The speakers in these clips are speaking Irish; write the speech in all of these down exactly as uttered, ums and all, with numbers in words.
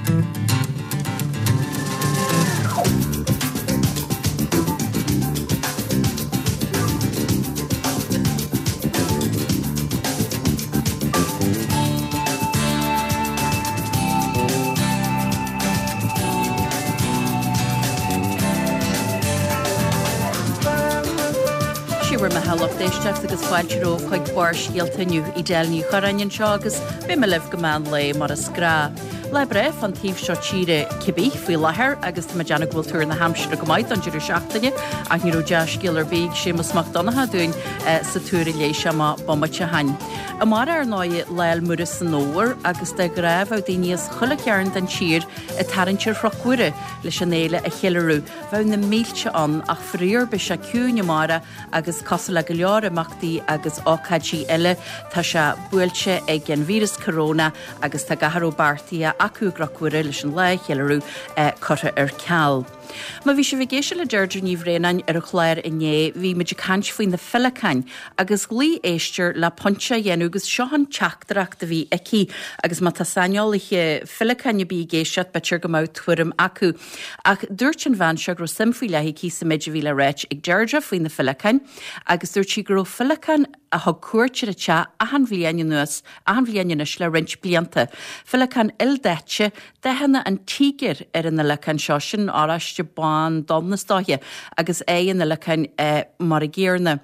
Sé bhur mbeatha lucht éisteachta agus fáilte romhaibh chuig Barrscéalta inniu Edel Ní Churráin anseo agus beidh mé libh go meán lae mar is gnách. Lá breá fán taobh seo tíre cibé faoi láthair agus tá mé ag déanamh go bhfuil tuar na haimsire go maith don deireadh seachtaine ach ní raibh dea-scéal ar bith ag Séamus Mac Donncha dúinn sa tuar a léigh sé amach bomaite ó shin. Amárach ar ndóigh Lá 'le Muire san Fhómhar agus de ghnáth bheadh daoine as chuile chearn den tír ag tarraingt ar Chnoc Mhuire leis an fhéile a cheiliúradh. Bheadh na mílte ann ach faraor beidh sé ciúin amárach agus cosúil le go leor imeachtaí agus ócáidí eile tá sé buailte ag an víreas corona agus tá gach a raibh beartaithe acu i gCnoc Mhuire leis an lá a cheiliúradh curtha ar ceal. Má bhí sibh ag éisteacht le Deirdre Ní Bhraonáin ar an chlár inné, bhí muid ag caint faoi na féileacáin agus ghlaoigh éisteoir le pointe a dhéanamh agus seo an teachtaireacht a bhí aici agus má tá saineolaithe féileacáin ar bith ag éisteacht b'fhéidir go mbeadh tuairim acu. Ach dúirt an bhean seo go raibh suim faoi leith aici sa méid a bhí le ráit ag Deirdre faoi na féileacáin agus dúirt sí go raibh féileacán a thug cuairt ar a teach achan bhliain anuas, achan bhliain anois le roinnt blianta. Féileacán ildaite, dathanna an tíogair ar an fhéileacán seo, sin oráiste, bán, donn is dóiche, agus aghaidh an fhéileacáin mar a gcéanna.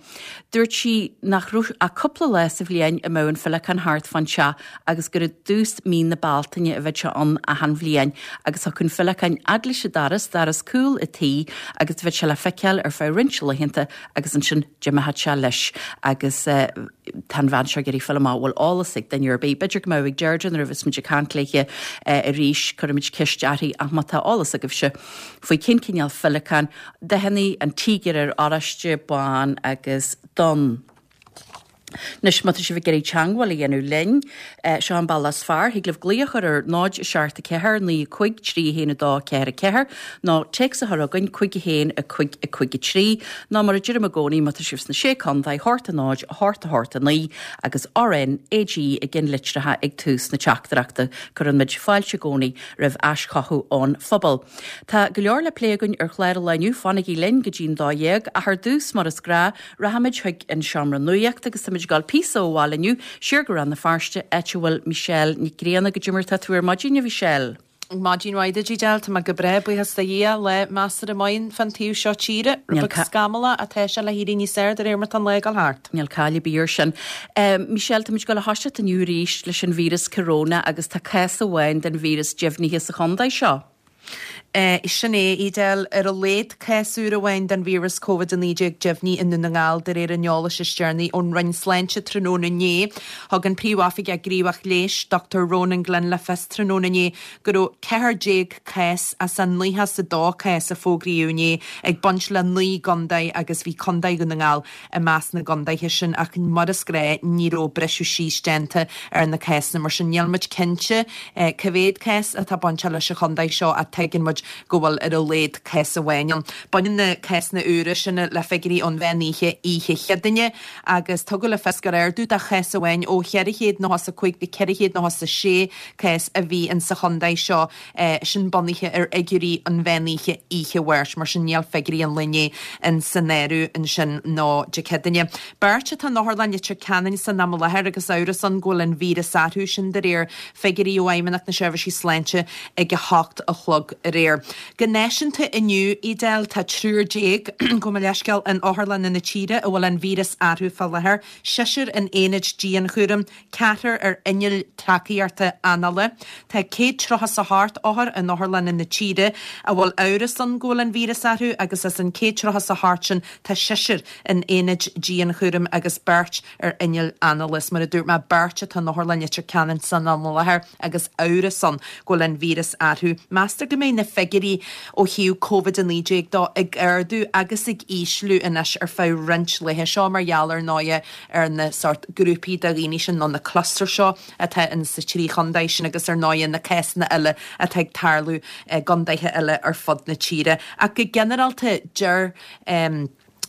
Dúirt sí nach raibh ach cúpla lá sa bhliain a mbeadh an féileacán thart fán teach agus gur i dtús mí na Bealtaine a bheadh sé ann achan bhliain agus thiocfadh an féileacán fhad leis an doras, doras cúl a tí, agus bheadh sé le feiceáil ar feadh roinnt laethanta agus ansin d'imeodh sé leis agus tá an bhean seo ag iarraidh fáil amach bhfuil eolas ag duine ar bith. B'fhéidir go mbeadh ag Deirdre nuair a bheas muid ag caint léi arís, cuirfimid ceist uirthi ach má tá eolas agaibhse faoi cén cineál féileacán, dathanna an tíogair ar oráiste, bán agus donn. Anois, má tá sibh ag iarraidh teagmháil a dhéanamh linn, seo an bealach is fearr. Thig libh glaoch a chur ar náid a seacht a ceathair naoi a cúig trí a haon a dó ceathair a ceathair nó téacs a chur chugainn cúig a haon a cúig a cúig a trí nó mar a deirim i gcónaí má tá sibh sna Sé Contae, a hocht a náid, a hocht a hocht a naoi agus R N A G i gceannlitreacha ag tús na teachtaireachta. Cuireann muid fáilte i gcónaí roimh aischothú ón phobal. Tá go leor le plé againn ar chlár an lae inniu, fanaigí linn go dtí'n dó dhéag ach ar dtús mar is gnách rachaimid chuig an seomra nuachta agus táimid ag dul píosa ó bhaile inniu siar go Rann na Feirste áit a bhfuil Michelle Nic Grianna. Goidé mar tá tú ar maidin a Mhichelle. Maidin mhaith duit Edel, Tá mé go breá buíochas do Dhia lá measartha maith fán taobh seo tíre, rud beag scamallach ach tá sé le héirí níos fearr de réir mar tá an lá ag dul thart. Níl caill ar bith air sin. Michelle, táimid ag dul a thoiseacht inniu arís leis an víreas corona agus tá cás amháin den víreas deimhnithe sa chontae seo. Sin é, Edel, ar a laghad cás úr amháin den víreas Covid a naoi déag deimhnithe i nDún na nGall de réir an eolais is deireanaí ón Roinn Sláinte tráthnóna inné. Thug an Príomhoifigeach Gníomhach Leighis, Dochtúir Ronan Glynn le fios tráthnóna inné go raibh ceathair déag cás as an nócha is a dó cás a fógraíodh inné ag baint le naoi gcontae agus bhí Contae Dhún na nGall i measc na gcontaetha sin ach mar is gnách ní raibh briseadh síos déanta ar na cásanna mar sin níl muid cinnte cá mhéad cás atá bainteach leis an chontae seo ach tuigeann muid go bhfuil ar a laghad cás amháin ann. Baineann na cásanna úra sin le figiúirí ón mheán oíche oíche Chéadaoine agus tugadh le fios gur ardú de chás amháin ó cheithre chéad nócha is a cúig go ceithre chéad nócha is a sé cás a bhí in sa chontae seo, sin bunaithe ar fhigiúirí an mheán oíche oíche Mháirt, mar sin níl figiúirí an lae inné in san áireamh ansin nó Dé Céadaoine. Beirt atá in Otharlann Leitir Ceanainn san am i láthair agus amhras ann go bhfuil an víreas orthu, sin de réir figiúirí ó Fheidhmeannacht na Seirbhísí Sláinte ag a hocht a chlog aréir. Go náisiúnta inniu, Edel, tá triúr déag, gabh mo leithscéal, in otharlanna na tíre a bhfuil an víreas orthu fá láthair, seisear in aonaid dianchúraim, ceathrar ar innill tacaíochta anála. Tá céad tríocha is a hocht othar in otharlanna na tíre a bhfuil amhras ann go bhfuil an víreas orthu agus as an céad tríocha is a hocht sin tá seisear in aonaid dianchúraim agus beirt ar innill anála. Is mar a dúirt mé, beirt atá in Otharlann Leitir Ceanainn san am i láthair agus amhras ann go bhfuil an víreas orthu. Meastar go mbeidh na figiúirí ó thaobh Covid a naoi déag dó ag ardú agus ag ísliú anois ar feadh roinnt laetha. Seo mar gheall ar ndóighe ar na sórt grúpaí de dhaoine sin nó na clusters seo atá in sa trí chontae sin agus ar ndóighe na cásanna eile atá ag tarlú i gcontaetha eile ar fud na tíre. Ach go ginearálta deir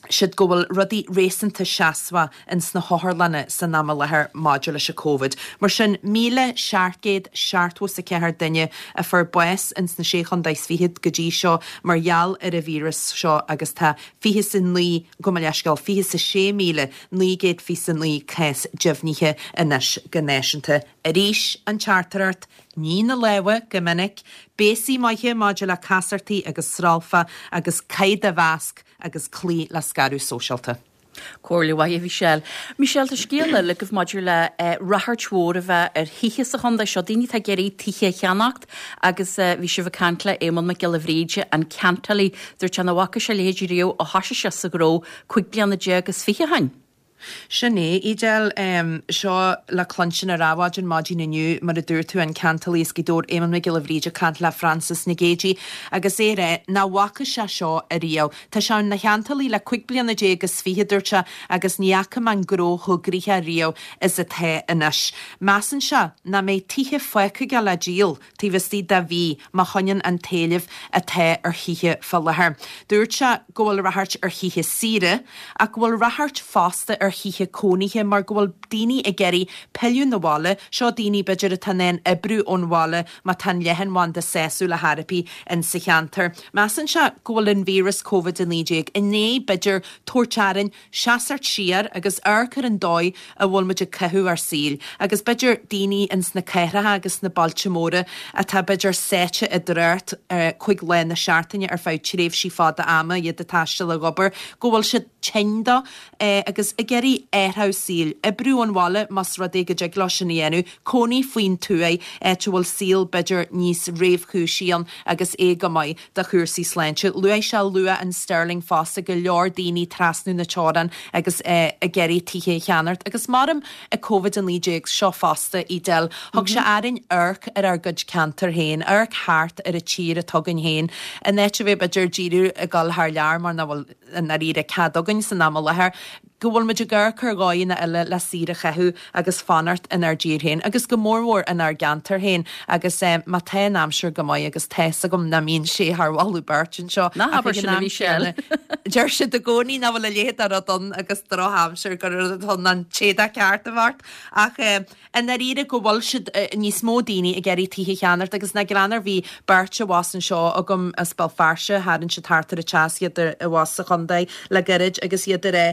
siad go bhfuil rudaí réasúnta seasmhach ins na hotharlanna san am i láthair maidir leis an Covid. Mar sin míle seacht gcéad seachtó is a ceathair duine a fuair bás ins na sé chontae is fichead go dtí seo mar gheall ar an víreas seo agus tá fiche is a naoi, gabh mo leithscéal, fiche is a sé míle naoi gcéad fiche is a naoi cás deimhnithe anois go náisiúnta. Arís an teachtaireacht, nigh na lámha go minic, béasaí maithe maidir le casartaí agus sralfa agus caith do mhasc agus cloígh le scaradh sóisialta. Comhairle mhaith, a Mhichelle. Michelle, tá scéal eile agaibh maidir le ráchairt mhór a bheith ar thithe sa chontae seo, daoine atá ag iarraidh tithe a cheannacht agus bhí sibh ag caint le Éamonn Mac Giolla Bhríde, an ceantálaí. Dúirt sé nach bhfaca sé a leithéid riamh ó thosaigh sé sa ghnó cúig bliana déag is fiche ó shin. Sin é, Edel. Seo le cluinstin ar Adhmhaidin maidin inniu, mar a dúirt tú, an ceantálaí as Gaoth Dobhair, Éamonn Mac Giolla Bhríde ag caint le Frances Nic Géadaigh agus é ag rá nach bhfaca sé seo ariamh. Tá sé ina cheantálaí le cúig bliana déag is fiche, dúirt sé, agus ní fhaca mé an gnó chomh gnoitheach riamh is atá anois. Measann sé nach mbeidh tithe fágtha aige le díol taobh istigh de mhí má choinníonn an t-éileamh atá ar thithe fá láthair. Dúirt sé go bhfuil ráchairt ar thithe saoire ach go bhfuil ráchairt fosta ar thithe cónaithe mar go bhfuil daoine ag iarraidh pilleadh 'na bhaile, seo daoine b'fhéidir atá in ann oibriú ón bhaile má tá an leathanbhanda sásúil ar chor ar bith in sa cheantar. Measann sé go bhfuil an víreas Covid a naoi déag i ndiaidh b'fhéidir tabhairt orainn seasamh siar agus amharc ar an dóigh a bhfuil muid ag caitheamh ár saoil agus b'fhéidir daoine ins na cathracha agus sna bailte móra atá b'fhéidir sáite i dtrácht cúig lá na seachtaine ar feadh tréimhsí fada ama, iad ag taisteal ag obair, go bhfuil siad tinn dó agus ag iarraidh athrú saoil, oibriú ón bhaile más rud é go dtig leo sin a dhéanamh, cónaí faoin tuaith, áit a bhfuil saol b'fhéidir níos réchúisí ann agus é go maith do chúrsaí sláinte. Luaigh sé luach an sterling fosta, go leor daoine trasnú na teorann agus ag iarraidh tithe a cheannacht agus maram ag Covid a naoi déag seo fosta, Edel. Thug sé orainn amharc ar ár gcuid ceantar féin, amharc thart ar an tír atá againn féin, in áit a bheith b'fhéidir díriú ag dul thar lear mar nach bhfuil i ndáiríre cead againn san am i láthair, go bhfuil muid ag amharc ar dhóigheanna eile le saoire a chaitheamh agus fanacht inár dtír féin agus go mórmhór inár gceantar féin agus má tá an aimsir go maith agus tá's agam nach mbíonn sé thar mholadh beirte anseo Ná habair sin a Mhichelle. Deir siad i gcónaí nach bhfuil a leithéid de rud ann agus drochaimsir gur rud ann an t-éadach ceart a bheart ach i ndáiríre go bhfuil siad níos mó daoine ag iarraidh tithe a cheannacht agus nach greannmhar bhí beirt abhus anseo agam as Béal Feirste, tharraing siad thart ar an teas iad abhus sa chontae le gairid agus iad ag rá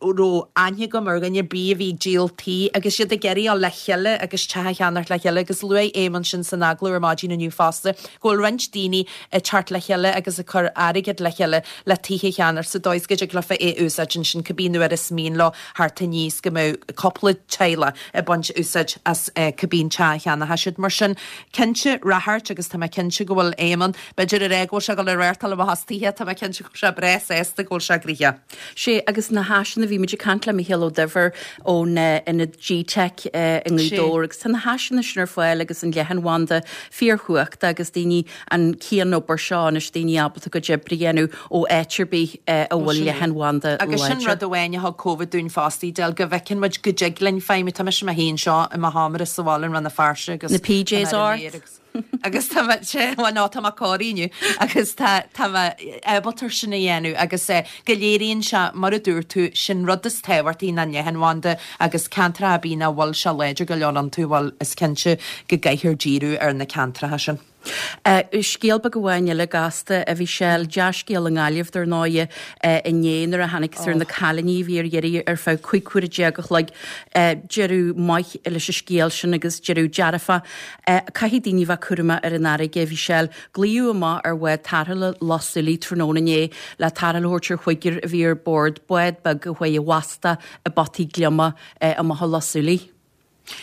raibh aithne agam ar dhuine ar bith a bhí ag díol tí agus iad ag iarraidh dul le chéile agus teach a cheannacht le chéile agus luaigh Éamonn sin san agallamh ar maidin inniu fosta go bhfuil roinnt daoine ag teacht le chéile agus ag cur airgead le chéile le tithe a cheannacht sa dóigh is go dtig leofa é a úsáid ansin cibé nuair is mian leo thart aníos go mbeadh cúpla teaghlach ag baint úsáid as cibé an teach a cheannóidh siad. Mar sin, cinnte, ráchairt agus tá mé cinnte go bhfuil Éamonn, b'fhéidir ag rá go bhfuil sé ag dul ag reáchtáil amach as tithe, tá mé cinnte go bhfuil sé breá sásta go bhfuil sé gnoitheach. Sé agus na háiseanna, bhí muid ag caint le Micheál Ó Duibhir ón ionad G-Tech i nGaoth Dobhair agus tá na háiseanna sin ar fáil agus an leathanbhanda fíorchumhachtach agus daoine an cianobair seo anois daoine ábalta a gcuid oibre a dhéanamh ó áit ar bith a bhfuil leathanbhanda láidir. Agus sin rud amháin a thug Covid dúinn fosta, Edel, go bhfeiceann muid go dtig linn feidhmiú, tá mise mé féin anseo i mo sheomra sa bhaile i Rann na Feirste agus Na PJs ort! agus tá mé sé bhuel no tá mé corraithe inniu agus tá tá mé ábalta sin a dhéanamh agus eh, go léiríonn sé mar a dúirt tú sin rud is tábhachtaí ná an leathanbhanda agus ceantracha ar bith nach bhfuil sé láidir go leor iontu bhuel is cinnte go gcaithfear díriú ar na ceantracha sin. Scéal beag amháin eile gasta a Mhichelle, dea-scéal i nGaillimh dar ndóighe inné nuair a tháinig ar na cailíní a bhí ar iarraidh ar feadh cúig huaire déag a chloig. Deireadh maith leis an scéal sin agus deireadh dearfach. Caithfidh daoine bheith cúramach ar an fharraige a Mhichelle. Glaodh amach ar bhád tarrthála Loch Súilí tráthnóna inné le tarrtháil a thabhairt ar chúigear a bhí ar bord bád beag a chuaigh i bhfastach i bpotaí gliomaigh amach ó Loch Súilí.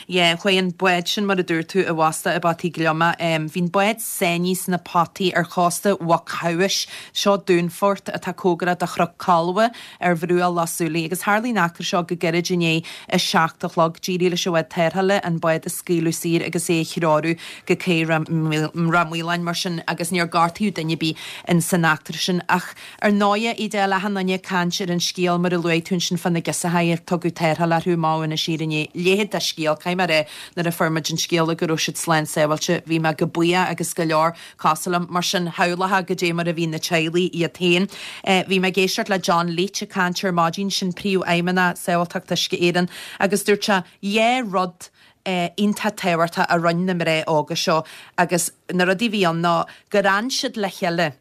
Yeah, chuaigh an bád sin, mar a dúirt tú, i bhfastach i bpotaí gliomaigh. Bhí an bád sáinnithe sna potaí ar chósta Mhuc Shamhais, seo dúnfort atá cóngarach do Chnoc Colbha ar bhruach Loch Súilí, agus tharlaigh an eachtra seo go gairid i ndiaidh a seacht a chlog. D'éirigh leis an bhád tarrthála an bád a scaoileadh saor agus é a threorú go cé Ráth Maoláin mar sin agus níor gortaíodh duine ar bith in san eachtra sin. Ach ar ndóighe, Edel, achan duine ag caint ar an scéal mar a luaigh tú ansin fá na girseachaí ar tugadh tarrtháil orthu amach ó Inis Oírr inné, leithéid de scéal. scéal. Caithfidh mé a rá, nuair a fuair muid an scéala go raibh siad slán sábháilte, bhí mé go buíoch agus go leor cosúil liom. Mar sin, shamhlófá goidé mar a bhí na teaghlaigh iad féin. Bhí mé ag éisteacht le John Leech ag caint ar maidin, sin Príomhfheidhmeannach Sábháilteacht Uisce Éireann, agus dúirt sé dhá rud iontach tábhachtach a rinne na mná óga seo agus na rudaí a bhí ann ná gur fhan siad le chéile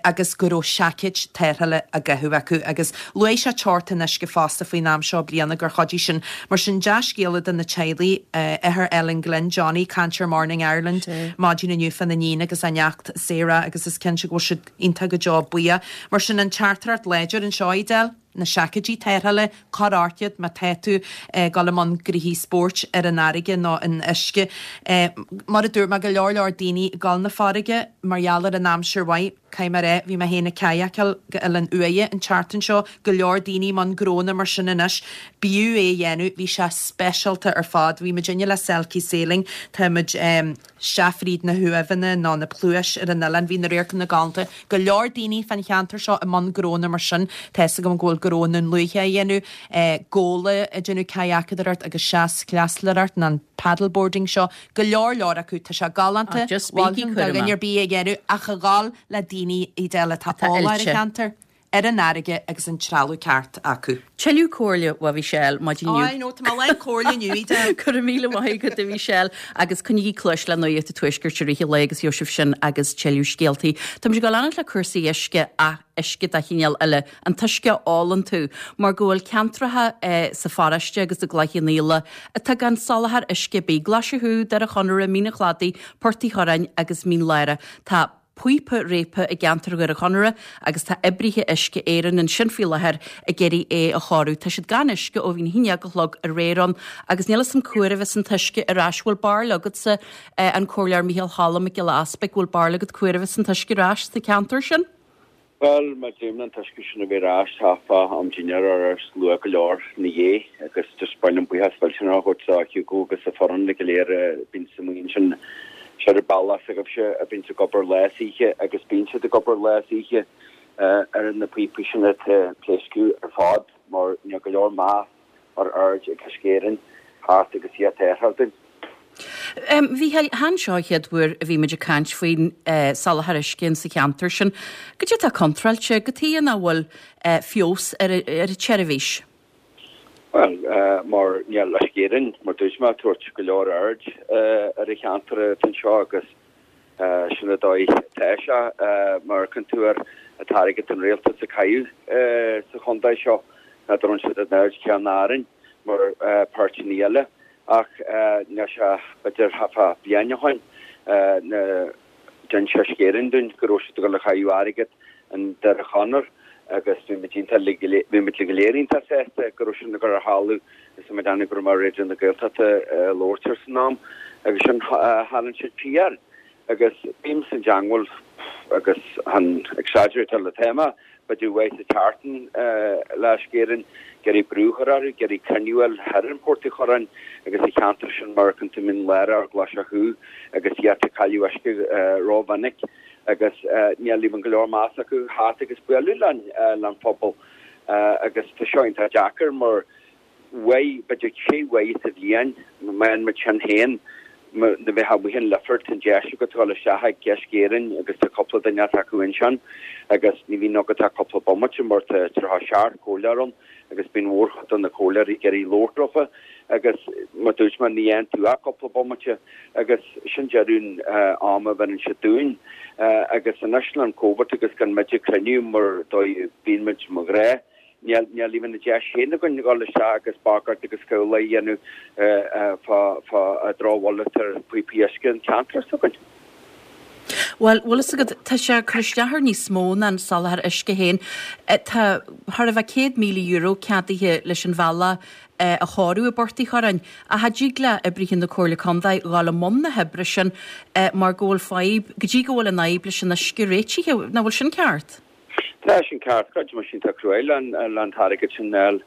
agus go raibh seaicéid tarrthála á gcaitheamh acu agus luaigh sé teocht an uisce fosta faoin am seo bliana gur chuidigh sin. Mar sin dea-scéala do na teaghlaigh, athair Ellen Glynn, Johnny, caint ar Morning Ireland maidin inniu fána níon agus a neacht Sarah agus is cinnte go bhfuil siad iontach go deo buíoch. Mar sin an teachtaireacht láidir anseo, Edel, na seaicéidí tarrthála, cuir ort iad má tá tú ag dul i mbun gnoithí spóirt ar an fharraige nó in uisce. Mar a dúirt mé, go leor leor daoine ag dul na farraige mar gheall ar an aimsir mhaith. Caithfidh mé a rá, bhí mé féin ag cadhacáil go Oileán Uaighe an tseachtain seo, go leor daoine i mbun gnónna mar sin anois. B'fhiú é a dhéanamh, bhí sé speisialta ar fad. Bhí muidinne le Selkie Sailing, tá muid isteach fríd na huaimheanna nó na pluais ar an oileán, bhí na radharcanna galánta. Go leor daoine fán cheantar seo i mbun gnónna mar sin. Tá 'fhios agam go bhfuil gnó i nDún Lúiche á dhéanamh, gabhla ag déanamh cadhacadóireacht agus seaschleaslóireacht nó an paddleboarding seo. Go leor leor acu. Tá sé galánta, mholfainn do dhuine ar bith é a dhéanamh ach a dhul le daoine Edel atá eolach ar an cheantar, ar an fharraige agus an trealamh ceart acu. Tuilleadh comhairle uaidh Mhichelle maidin inniu. I know, tá mé lán comhairle inniu, Edel. Go raibh míle maith agat a Mhichelle agus coinnígí cluas le Nuacht an Tuaiscirt i rith an lae agus gheobhaidh sibh sin agus tuilleadh scéaltaí. Táimid ag dul leanacht le cúrsaí uisce ach uisce de chineál eile, an t-uisce a ólann tú, mar go bhfuil ceantracha sa pharóiste agus i gCloich Cheann Fhaola atá gan soláthar uisce ar bith, Glaise Chú, Doire Chonaire, Mín an Chladaigh, Port Uí Churráin agus Mín Lárach. Tá píopa réabtha i gceantar Dhoire Chonaire agus tá oibrithe Uisce Éireann ansin faoi láthair ag iarraidh é a chóiriú. Tá siad gan uisce ó bhí a haon déag a chlog aréir ann agus níl 'fhios a'm cá huair a bheas an t-uisce ar ais. Bhfuil barúil agatsa, an Comhairleoir Micheál Choilm Mac Giolla Easpaig, bhfuil barúil agat cá huair a bheas an t-uisce ar ais sa cheantar sin? Bhuel, má déanann an t-uisce sin a bheith ar ais, tá fá am dinnéar ar ais luath go leor ina dhiaidh agus just ba mhaith liom buíochas millteanach a thabhairt do Hugo agus a foireann go léir a bíonn sa mbuíon sin ar an bealach s'agaibhse a bíonns ag obair lá is oíche agus bíonn siad ag obair lá is oíche ar na píopaí sin atá ag pléascadh ar fad mar níl go leor meas mar aird ag Uisce Éireann thart agus iad tarrtháil dúinn. A Mhícheáil, chan seo an chéad uair a bhí muid ag caint faoin soláthar uisce in sa cheantar sin. Goidé atá contráilte, cad chuige nach bhfuil feabhas ar an tseirbhís? Bhuel, mar níl Uisce Éireann, mar dúirt mé, ag tabhairt go leor aird ar an cheantar atá anseo agus sin an dóigh atá sé. Mar amharcann tú ar an t-airgead an rialtas ag caitheamh sa chontae seo, n'fheadar an bhfuil siad an aird chéanna orainn mar páirteanna eile. Ach níl sé, b'fhéidir, thart fá bliain ó shoin, nuair d'inis Uisce Éireann dúinn go raibh siad ag dul a chaitheamh airgead in Doire Chonaire agus bhí muid iontach, bhí muid go léir iontach sásta go raibh sin ag dul ar thalamh is tá mé ag déanamh go raibh mé ar Raidió na Gaeltachta ag labhairt air san am agus sin tharraing siad siar agus bím sa dteangmháil agus chan exaggerate le téama, b'fhéidir uair sa tseachtain le Uisce Éireann, ag iarraidh brú a chur orthu, ag iarraidh cruinniú a fháil thoir in Port Uí Churráin agus sa cheantar sin mar amharcann tú Mín Lárach, Glaise Chú agus iad ag cailleadh uisce rómhinic agus níl even go leor meas acu theacht agus bualadh linn, le phobal agus tá seo iontach deacair mar uair, b'fhéidir trí uair sa bhliain, má bhíonn muid sin féin, nuair a bheifeá amuigh in Leifear, tá an deis agat dul isteach ag Uisce Éireann agus tá cúpla duine acu ansin agus ní bhíonn agat ach cúpla bomaite mar tá tríocha seacht comhairleoir ann agus bíonn mórchuid de na comhairleoirí ag iarraidh labhairt leofa agus mar dúirt mé ní fhaigheann tú ach cúpla bomaite agus sin deireadh an ama a bheireann siad dúinn agus anois le an Covid agus gan muid ag cruinniú mar dóigh bíonn muid mar ghnáth. Níl níl even an deis féin againn a dhul isteach agus bagairt agus cabhail a dhéanamh fá fá drochbhail atá ar phíopaí uisce an cheantair s'againn. Bhuel, bhfuil fhios agat, tá sé ag cur isteach ar níos mó ná an soláthar uisce féin. Tá thar a bheith céad míle euro ceadaithe leis an bhealach a chóiriú i bPort Uí Churráin, ach cha dtig le oibrithe na Comhairle Contae dhul i mbun na hoibre sin mar go bhfuil fadhb, go dtí go bhfuil an fhadhb leis an uisce réitithe. Nach bhfuil sin ceart? Tá sin ceart, creidim sin tá cruaidh le an t-airgead sin fháil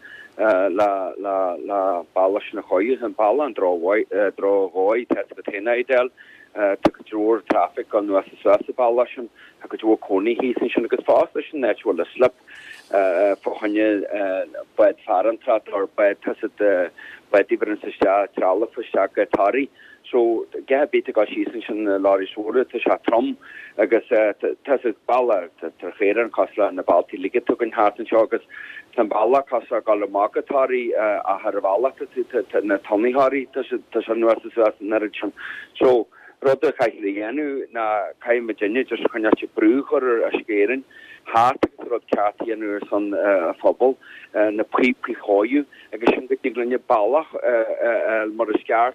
le le le bealach sin a chóiriú, an bealach an droch-dhóigh, tá a fhios agat féin é Edel, Tá cuid mhór traffic anuas is suas an bealach sin, tá cuid mhór cónaí thíos ansin agus fosta sin áit a bhfuil an slip fá choinne bád farantóireachta or bád tá siad báid a bheireanns isteach trealamh isteach go Toraigh. So a dhath ar bith ag dul síos ansin na lorries mhóra tá sé trom agus tá siad bealach tá chaora an cosúil le na bealtaí uilig atá againn thart anseo agus tá an bealach cosúil le dul amach go Toraigh ach ar an bhealach tá na tonnaí tá sé tá sé anuas is suas an oiread sin. So rud a chaithfidh a dhéanamh ná caithfidh muidinne just coinneáil brú a chur ar Uisce Éireann theacht agus rud ceart a dhéanamh ar son an phobail, na píopaí a chóiriú agus sin go dtig linne bealach a fháil mar is ceart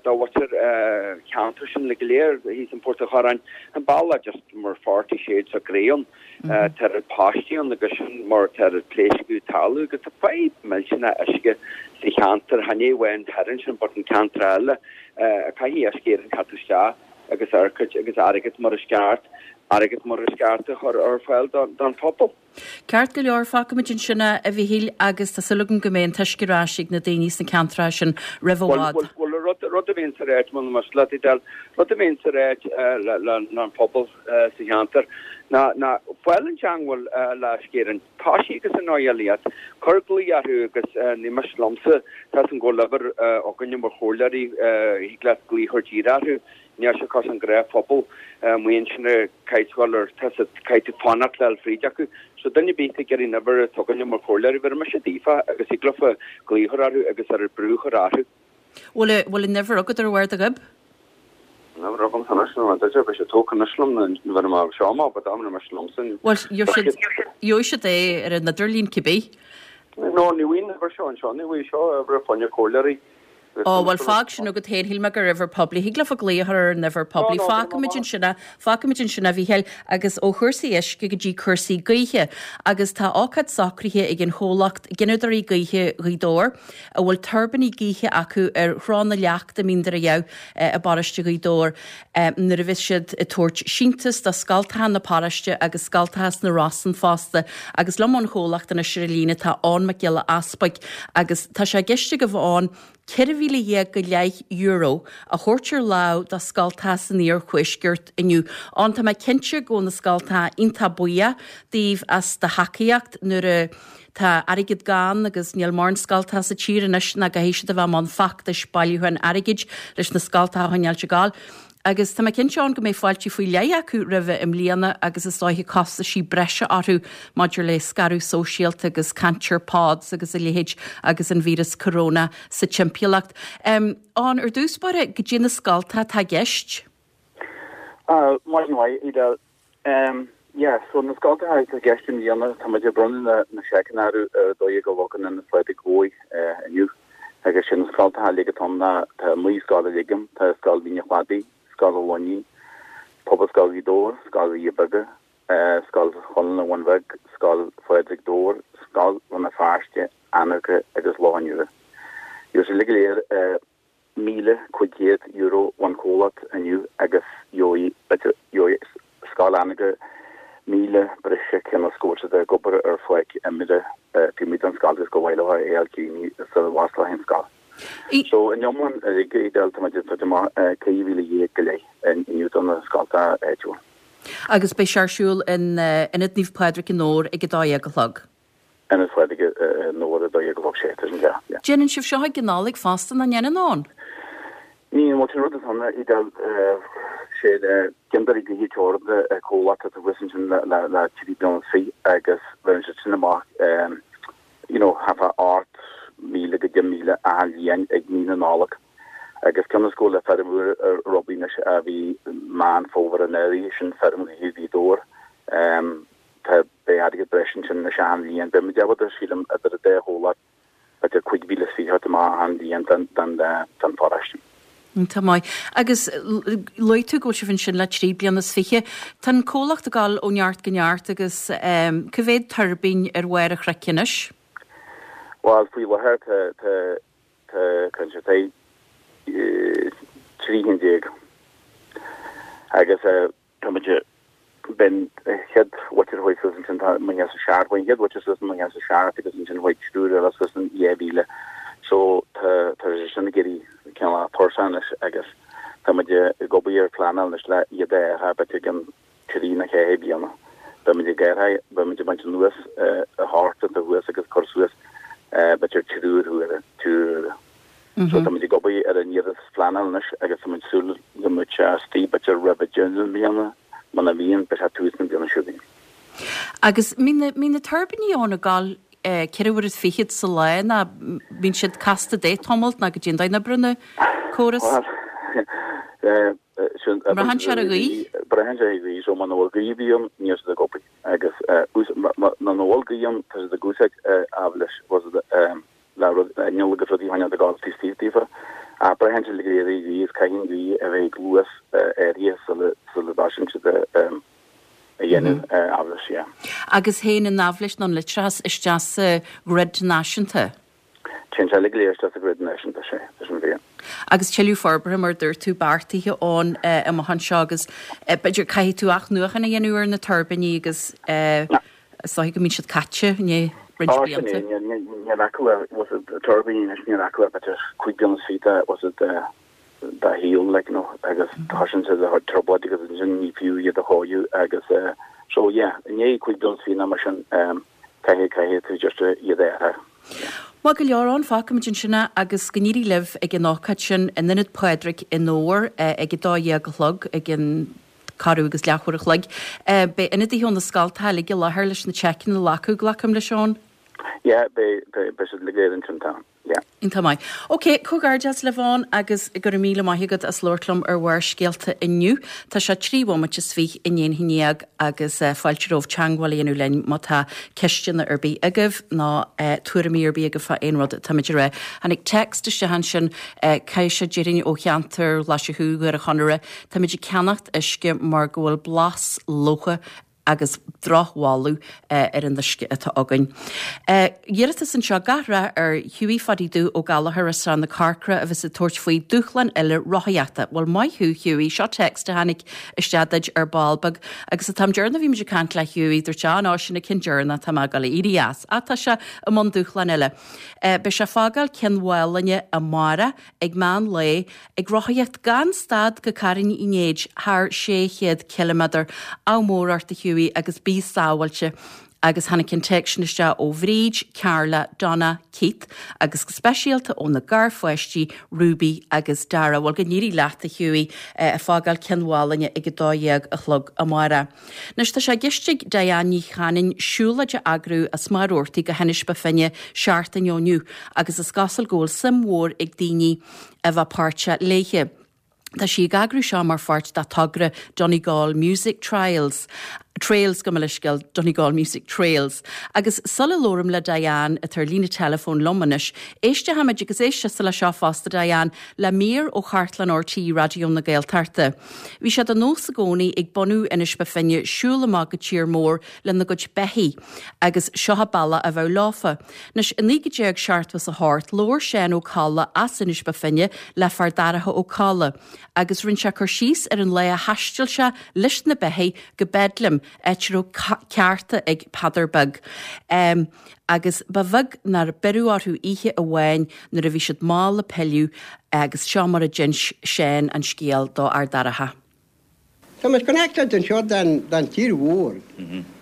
do mhuintir an cheantair sin uilig go léir thíos in Port an Chorráin. An bealach just mar forty shades of grey ann. Tá oiread páistí ann agus sin mar tá oiread pléascadh ag tarlú agus tá fadhb millteanach uisce sa cheantar, chan é amháin thoir ansin but an ceantar eile. Caithfidh Uisce Éireann teacht isteach agus airgead agus airgead mar is ceart, airgead mar is ceart a chur ar fáil don phobal. Ceart go leor, fágfaimid ansin é, a Mhíchíl, agus tá súil agam go mbeidh an t-uisce ar ais ag na daoine sna ceantracha sin roimh i bhfad. Bhuel, bhuel, rud a bhíonns a ráit, muna miste leat, Edel, rud a bhíonns a ráit le an pobal sa cheantar ná, ná fáil i dteangmháil le Uisce Éireann. Toisigh agus an dóigh eile iad. Cuir glaoch orthu agus ní miste liomsa, tá 'fhios a'm go bhfuil uimhir againne mar chomhairleoirí, thig leat glaoch a chur díreach orthu. Níl sé cosúil an gnáthphobal amuigh ansin a caithfidh dul ar tá siad caithfidh tú fanacht le fáil fríd acu. So duine ar bith ag iarraidh an uimhir atá againne mar chomhairleoirí bheir mise daofa agus thig leofa glaoch a chur orthu agus ar brú a chur orthu. Bhfuil bhfuil an uimhir agat ar bharr do ghoib? An uimhir agamsa anois nó an duine beidh sé tógtha anois liom nuair a bheidh mé seo amach but am mise liomsa. Bhuel gheobhaidh siad gheobhaidh siad é ar an idirlíon cibé. No ní bhfuil an uimhir seo anseo ní bhfuil seo uimhir fá choinne comhairleoirí. Ó, bhuel, fág sin agat féin, shíl mé gur uimhir poiblí. Thig leofa glaoch a chur ar an uimhir poiblí. Fágfaimid ansin é, fágfaimid ansin é, a Mhíchíl, agus ó chúrsaí uisce go dtí cúrsaí gaoithe. Agus tá ócáid socraithe ag an chomhlacht Gineadóirí Gaoithe Ghaoth Dobhair, a bhfuil tuirbíní gaoithe acu ar Thrá na Leachta i Mín Doire Dhamh i bparóiste Ghaoth Dobhair, nuair a bheas siad ag tabhairt síntiús do scoltacha na paróiste agus scoltacha sna Rosann fosta. Agus liom ón chomhlacht anois ar an líne tá Eoin Mac Giolla Easpaig agus tá sé i gceist agaibh a Eoin ceithre mhíle dhéag go leith euro a thabhairt ar lámh do scoltacha san iarthuaisceart inniu. Eoin, tá mé cinnte go bhfuil na scoltacha iontach buíoch díobh as do thacaíocht nuair a tá airgead gann agus níl mórán scoltacha sa tír anois ná go siad a bheith i mbun feachtais bailiúcháin airgid leis na scoltacha a choinneáil ag gabháil. Agus tá mé cinnte ann go mbeidh fáilte faoi leith acu roimhe i mbliana agus is dóiche costaisí breise orthu maidir le scaradh sóisialta agus caint ar pods agus a leithéid agus an víreas corona sa timpeallacht. Um, Eoin, ar dtús báire go dtí na scoltacha atá i gceist? Uh, Maidin mhaith, Edel. Um, yeah, so na scoltacha atá i gceist i mbliana tá muid ag bronnadh na, na seiceanna ar a dó dhéag a chlog in Ionad Phádraig Bhoy uh, inniu. Agus sin na scoltacha uilig atá ann ná tá naoi scoil uilig ann, tá Scoil Mhín an Chladaigh, Scoil an Luainín, Pobalscoil Ghaoth Dobhair, Scoil Dhoirí Beaga, Scoil Chonán an Bhun Bhig, Scoil Phádraig Dobhair, Scoil Rann na Feirste, Anagaire agus Loch an Iúir. Gheobhaidh siad uilig go léir míle cúig chéad euro ón chomhlacht inniu agus gheobhaidh gheobhaidh Scoil Anagaire míle breise cionn is go bhfuil siad ag obair ar pháirc imeartha taobh amuigh den scoil agus gur mhaith leo é a fháil críochnaithe sula bhfosclóidh an scoil. So in iomlán uilig Edel tá muid ag tabhairt amach ceithre mhíle dhéag go leith inniu do na scoltacha áitiúla. Agus beidh sé ar siúl in Ionad Naomh Pádraig i nDobhar ag a dó dhéag a chlog. Ionad Phádraig i nDobhar a dó dhéag a chlog sé tá sin ceart, yeah. Déanann sibh seo ag an Nollaig fosta, nach ndéanann Eoin? Ní bhuel sin rud atá ann Edel sé Gineadóirí Gaoithe Teoranta comhlacht atá thuas ansin le le trí bliana is fiche agus bheireann siad sin amach you know thart fá ocht míle go deich míle achan bhliain ag mí na Nollag agus cionn is go bhfuil feirm úr ar obair anois a bhí Meán Fómhair anuraidh sin feirm ghaoithe Ghaoth Dobhair tá beidh airgead breise ansin anois achan bhliain beidh muid ábalta sílim idir an dá chomhlacht b'fhéidir cúig mhíle is fiche a thabhairt amach achan bhliain don don don pharóiste. Tá maith. Agus luaigh tú go bhfuil sibh ansin le trí bliana is fiche. Tá an comhlacht ag dul ó neart go neart agus cá mhéad tuirbín ar bharr an chnoic anois? Bhuel, faoi láthair tá tá tá tá tá trí cinn déag agus tá muid b'in an chéad mhuintir a chuaigh suas ansin tá naoi déag seacht chuaigh an chéad mhuintir suas in naoi déag seacht agus ansin chuaigh triúr eile suas in dhá mhíle so tá tá sé sin ag éirí cineál tuirseach anois agus Tá muid ag obair ar phleanáil anois le iad a athrú b'fhéidir i gcionn trí nó ceathair bliana. Beidh muid ag athrú, beidh muid ag baint anuas a hocht atá thuas agus cur suas b'fhéidir triúr úr, triúr úr. So tá muid ag obair ar an iarratas phleanáil anois agus tá muid ag súil go mbeidh sé istigh b'fhéidir roimh deireadh na bliana, muna mbíonn beidh sé tús na bliana seo chugainn. Agus mbíonn na tuirbíní ann ag gabháil ceithre huaire is fichead sa lá nó bíonn siad casta de tamalt nó goidé an dóigh a n-oibríonn an córas? Braitheann sé ar an ghaoth? Braitheann sé ar an ghaoth, so muna bhfuil gaoth ar bith ann níl siad ag obair agus muna bhfuil gaoth ann tá siad ag úsáid aibhléis le rud inneall agus rudaí a choinneáil ag gabháil taobh istigh daofa. Ach braitheann sé go léir ar an ghaoth is caithfidh an ghaoth a bheith ag luas áirithe sula sula dtosaíonn siad a dhéanamh aibhléis, yeah. Agus théann an aibhléis nó an leictreachas isteach sa ghrid náisiúnta? Téann sé uilig go léir isteach sa ghrid náisiúnta, sea, tá sin fíor. Agus tuilleadh forbartha, mar a dúirt tú, beartaithe ann amach anseo agus b'fhéidir caithfidh tú athnuachan a dhéanamh ar na tuirbíní agus is dóigh go mbíonn siad caite i ndiaidh roinnt Ó, sin blianta. é, níl acu le, bhfuil a fhios agat, tuirbíní anois, níl acu le b'fhéidir cúig bliana is fiche de, bhfuil a fhios agat, dá shaol, like, you know, agus tosaíonn siad ag trioblóid agus ansin ní fiú iad a chóiriú agus so, yeah, i ndiaidh cúig bliana is fiche nó mar sin, caithfidh, caithfidh tú just iad a athrú. Maith go leor Eoin, fágfaimid ansin é agus go n-éirí libh ag an ócáid sin in Ionad Phádraig i nDobhar ag a dó dhéag a chlog ag an corradh agus leathuair a chloig. Beidh ionadaithe ó na scoltacha uilig i láthair leis na seiceanna a ghlacadh, glacaim leis, Eoin? Yeah, beidh, beidh, beidh siad uilig go léir ansin, tá. Yeah. Iontach maith. Ok, comhghairdeas libh Eoin agus go raibh míle maith agat as labhairt liom ar Bharrscéalta inniu. Tá sé trí bhomaite is fiche i ndiaidh a haon déag agus fáilte romhaibh teagmháil a dhéanamh linn má tá ceisteanna ar bith agaibh nó tuairimí ar bith agaibh fá aon rud atáimid a rá. Tháinig text isteach ansin, caithfidh sé déarfainn ó cheantar Ghlaise Chú, Dhoire Chonaire, Táimid ag ceannacht uisce mar go bhfuil blas locha agus drochbholadh ar an uisce atá againn. Iarratas anseo gach rath ar Hughie Phadaí Dubh Ó Gallchóir as Srath na Corcra a bheas ag tabhairt faoi dúshlán eile rothaíochta. Bhuel maith thú Hughie, seo text a tháinig isteach duit ar ball beag agus an t-am deireanach a bhí muid ag caint le Hughie dúirt sé ah no sin an ceann deireanach tá mé ag dul a éirí as. Ach tá sé i mbun dúshlán eile. Beidh sé ag fágáil Cionn Mhálanna amárach ag meán lae ag rothaíocht gan stad go Carn Uí Néid thar sé chéad ciliméadar. Ádh mór ort a Hughie agus bí sábháilte. Agus tháinig an téacs sin isteach ó Bhríd, Carla, Donna, Keith agus go speisialta ó na garpháistí Ruby agus Dara. Bhuel go n-éirí leat a Hughie ag fágáil Cionn Mhálanna ag a dó dhéag a chlog amárach. Anois tá sé i gceist ag Diane Ní Chanainn siúlóid a eagrú as Machaire Rabhartaigh go hInis Bó Finne seachtain ó inniu agus is cosúil go bhfuil suim mhór ag daoine a bheith páirteach léithe. Tá sí ag eagrú seo mar pháirt dá togra Donegal Music Trials. Trails gabh mo leithscéal, Donegal Music Trails. Agus sula labhraím le Diane, atá ar líne teileafóin liom anois, éistfimid agus éist leis seo fosta Diane, le mír ó chartlann RTÉ Raidió na Gaeltachta. Bhí sé de nós i gcónaí ag bunadh Inis Bó Finne siúl amach go tír mór lena gcuid beithígh agus seo an bealach a bheadh leofa. Anois i naoi déag seachtó is a hocht labhair Seán Ó Colla as Inis Bó Finne le Fear Daracha Ó Colla agus rinne sé cur síos ar an lá a thaistil sé leis na beithígh go Bedlam, áit a raibh ceárta ag Peadar Beag. Um, agus ba bheag nár beireadh orthu oíche amháin nuair a bhí siad mall ag pilleadh agus seo mar a d'inis Seán an scéal do Fhear Daracha. Tá muid connected anseo den, den tír mhór.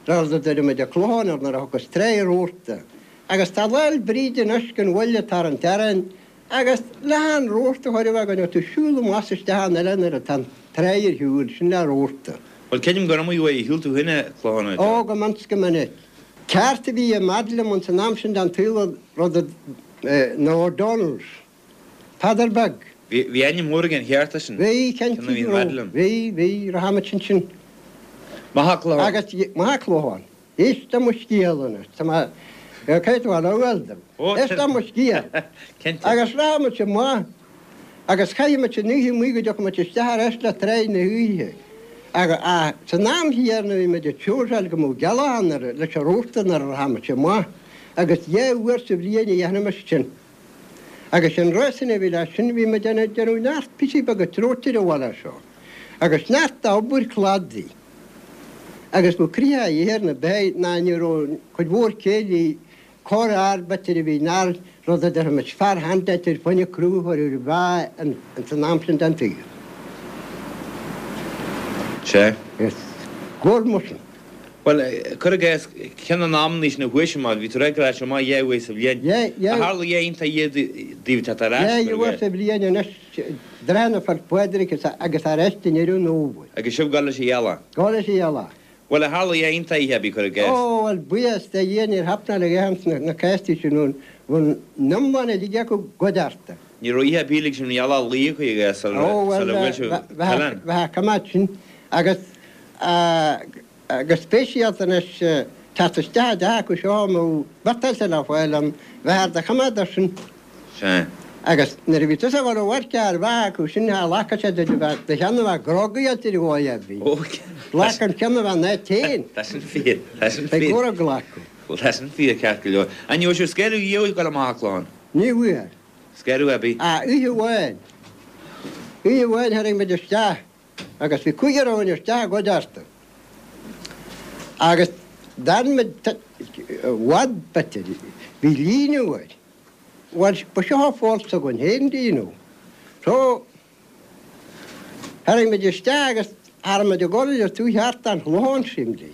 Rud a deirimid an Clochán ar nuair a thiocfas Tráigh Rabharta. Agus tá Lá'l Bríde anois den bhaile atá ar an teorainn agus le an rabharta a chur a bheith againn, tú siúl amach is isteach an oileán nuair atá an tráigh ar shiúl, sin le rabharta. Bhuel, creidim gur iomaí uair a shiúil tú féin an Clochán a Ó, go minic 's go minic. Ceárta a bhí i mBedlam ins an am sin den tsaol rud a, na O'Donnells. Peadar Beag. Bhí, bhí ainm mór ag an cheárta sin. Bhí, cinnte Ceann a bhí i go raibh. mBedlam. Bhí, bhí, rachaimid ansin. Maith an Clochán. Agus, maith an Clochán. Éist le mo scéal anois. Tá mé, caithfidh tú a fháil dom. Ó, Éist le mo scéal. Cinnte. Agus rachaimid amach agus chaithfimid an oíche amuigh go dtiocfaimid isteach ar ais le tráigh na hoíche. Agus, ach, san am chéanna bhí muid ag sóirseáil go mbeadh gealach ann leis an rabharta nuair a rachaimid amach agus dhá uair sa bhliain a dhéanfaimis sin. Agus an réasún a bhí leis sin, bhí muid ag déanamh neart píosaí beaga treoite ar bhaile seo agus neart d'obair cladaigh agus ba croitheadh a ithe ar na beithígh ná ní raibh cuid mhór céilí corr-fhear b'fhéidir a bhí nár rud a déarfaimis fear hand b'fhéidir fá choinne crú a chur ar an mheá ins an am sin den tsaol. Sea. Is gcóir musin. Bhuel, cuir i gcás, ceann an amannaí sin a chuaigh sé amach, bhí tú ag rá sé amach dhá uair sa bhliain. Yeah, yeah. Ar tharla dhá iontach iad daoibh teacht ar ais, Yeah, cuir i uair gcás? sa bhliain anois, dtráth na Féil' Pádraig agus ar ais i ndeireadh an fhómhair. Agus sibh ag dul leis an ghealach? Dul leis an ghealach. Bhuel, ar tharla dhá iontach oíche ar bith, cuir i gcás? Ó, bhuel, buíochas do Dhia níor thaip ná le dhá na cásí sin ann, bhí an iomlán uilig acu goidte. Ní raibh oíche ar bith lig sibh an ghealach a luí, cuir i gcás, sula Ó, bhuel, sula bhfuil sibh oileán. bheadh coimeád sin agus go speisialta anois teacht isteach i dteach acu seo nó biotáilte le fáil ann, bheith ar do choimeád air sin. Sea. Agus nuair a bhí tusa ag dul a amharc ar bheatha acu sin, cha ghlacfadh siad duit a bheith, do cheann a bheith grógaithe ar dhóigh ar bith. Ó, Ghlac an ceann a bheith in áit féin. Tá sin fíor, tá sin Beidh fíor. cóir a ghlacadh. Bhuel, tá sin fíor ceart go leor. An raibh sibh scaradh riamh ag dul amach an Clochán? Ní bhfuair. Scaradh ar bith? Ah, oíche amháin. Oíche amháin tharraing muid isteach agus bhí cúigear againn isteach i gcuideachta. Agus d'fhan muid i bhfad b'fhéidir. Bhí líonadh air. Bhuel, ba seo a pholl s'againn féin, do you know. So, tharraing muid isteach agus cha raibh muid ag dul le tú thart an Chlochán simplí.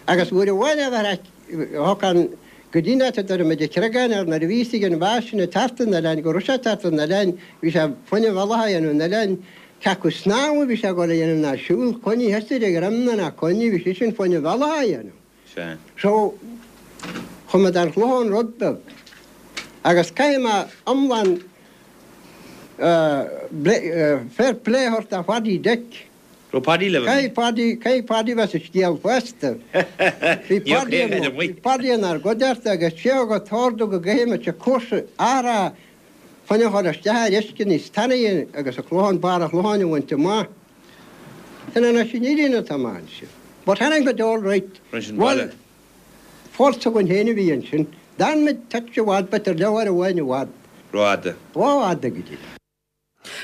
Agus uair amháin a bheith thug an go dtí an áit a dtabharfaidh muid an creagán air nuair a bhí fhios ag an bhfear sin ag teacht an oileáin go raibh sé ag teacht an oileáin, bhí sé fá choinne bealach a dhéanamh an oileáin, cé acu snámh a bhí sé ag dul a dhéanamh ná siúl, coinnigh thosaigh ar dhroim ná coinnigh, bhí sé sin fá choinne bealach a dhéanamh. Sea. So, chuaigh muid an Chlochán rud beag. Agus caithfidh mé iomlán fair play a thabhairt do Phaddy Dick. Raibh Paddy libh? Caithfidh Paddy, caithfidh Paddy bheith sa scéal fosta. Bhí Paddy, bhí Paddy inár gcuideachta agus sé a thug an t-ordú go gcaithfidh muid cúrsa athrá fá choinne a chur isteach ar uisce níos tanaí agus an Clochán, barr an Chlocháin a bhaint amach. Sin anois an fhírinne atá amach ansin. But tháinig muid all right. Rinne sin Bhuel, baile. Foll s'againn féin a bhí ansin. D'fhan muid touch i bhfad, b'fhéidir leathuair amháin i bhfad. Rófhada. Rófhada go dtí.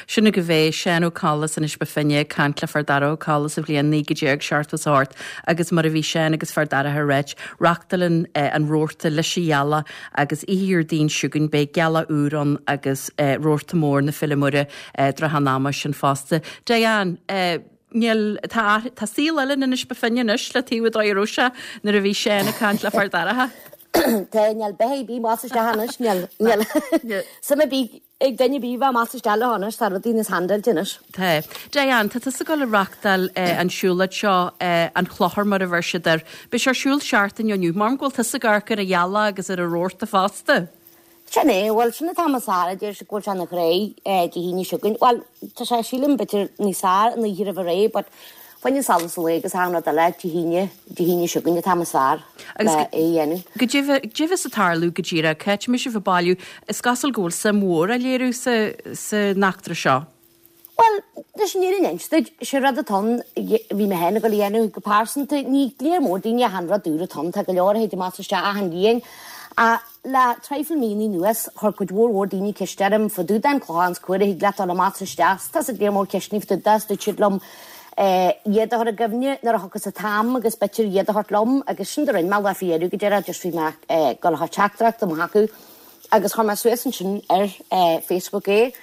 Sin agaibh é Seán Ó Colla as Inis Bó Finne ag caint le Fear Dara Ó Colla sa bhliain naoi déag seachtó is a hocht agus mar a bhí Seán agus Fear Dara ag ráit, reáchtálann an rabharta leis an ghealach agus oíche Dhéardaoin seo chugainn beidh gealach úr ann agus rabharta mór na Féile Muire trátha an ama sin fosta. Diane, níl tá tá saol eile in Inis Bó Finne anois le taobh dóigh a raibh sé nuair a bhí Seán ag caint le Fear Dara. Tá níl beith bí más isteach anois níl níl suim ar bith ag duine bí bheith amach isteach le anois tá rudaí níos handáilte anois. Tá. Diane, tá tusa ag dul a reáchtáil an siúlóid seo an Clochar mar a bheir siad air. Beidh sé ar siúl seachtain ó inniu, mar go bhfuil tusa ag amharc ar an ghealach agus ar an rabharta fosta. Sin é, bhuel sin atá mar Sara deir sé go bhfuil sé ina ghrey Dé hAoine seo chugainn. Bhuel tá sé sílim b'fhéidir níos fearr an oíche roimh ré, but fá choinne solas an lae agus achan rud eile Dé hAoine, Dé hAoine seo chugainn atá mar fearr Agus le é a dhéanamh. Goidé goidé bheas ag tarlú go díreach, cá mbeidh sibh ag bailiú, is cosúil go bhfuil suim mhór á léiriú sa san eachtra seo. Bhuel, leis an fhírinne a inse duit, sé rud atá ann, bhí mé féin ag dul a dhéanamh go pearsanta, ní léir mór daoine achan rud úr atá ann, tá go leor a théid amach isteach achan bhliain. Ach le traidhfil míonna anuas, chuir cuid mhór mhór daoine ceist orm fá dtaobh den Chlochán 's cá huair a thig leat dul amach is isteach. Tá siad léir mór ceisteanna fá dtaobh de, 's dúirt siad liom iad a chur i gcuimhne nuair a thiocfas an t-am agus b'fhéidir iad a thabhairt liom agus sin do rinne mé lá faoi dheireadh go deireadh, just bhí mé ag dul a thabhairt teachtaireacht amach acu agus chuir mé suas ansin ar Facebook é.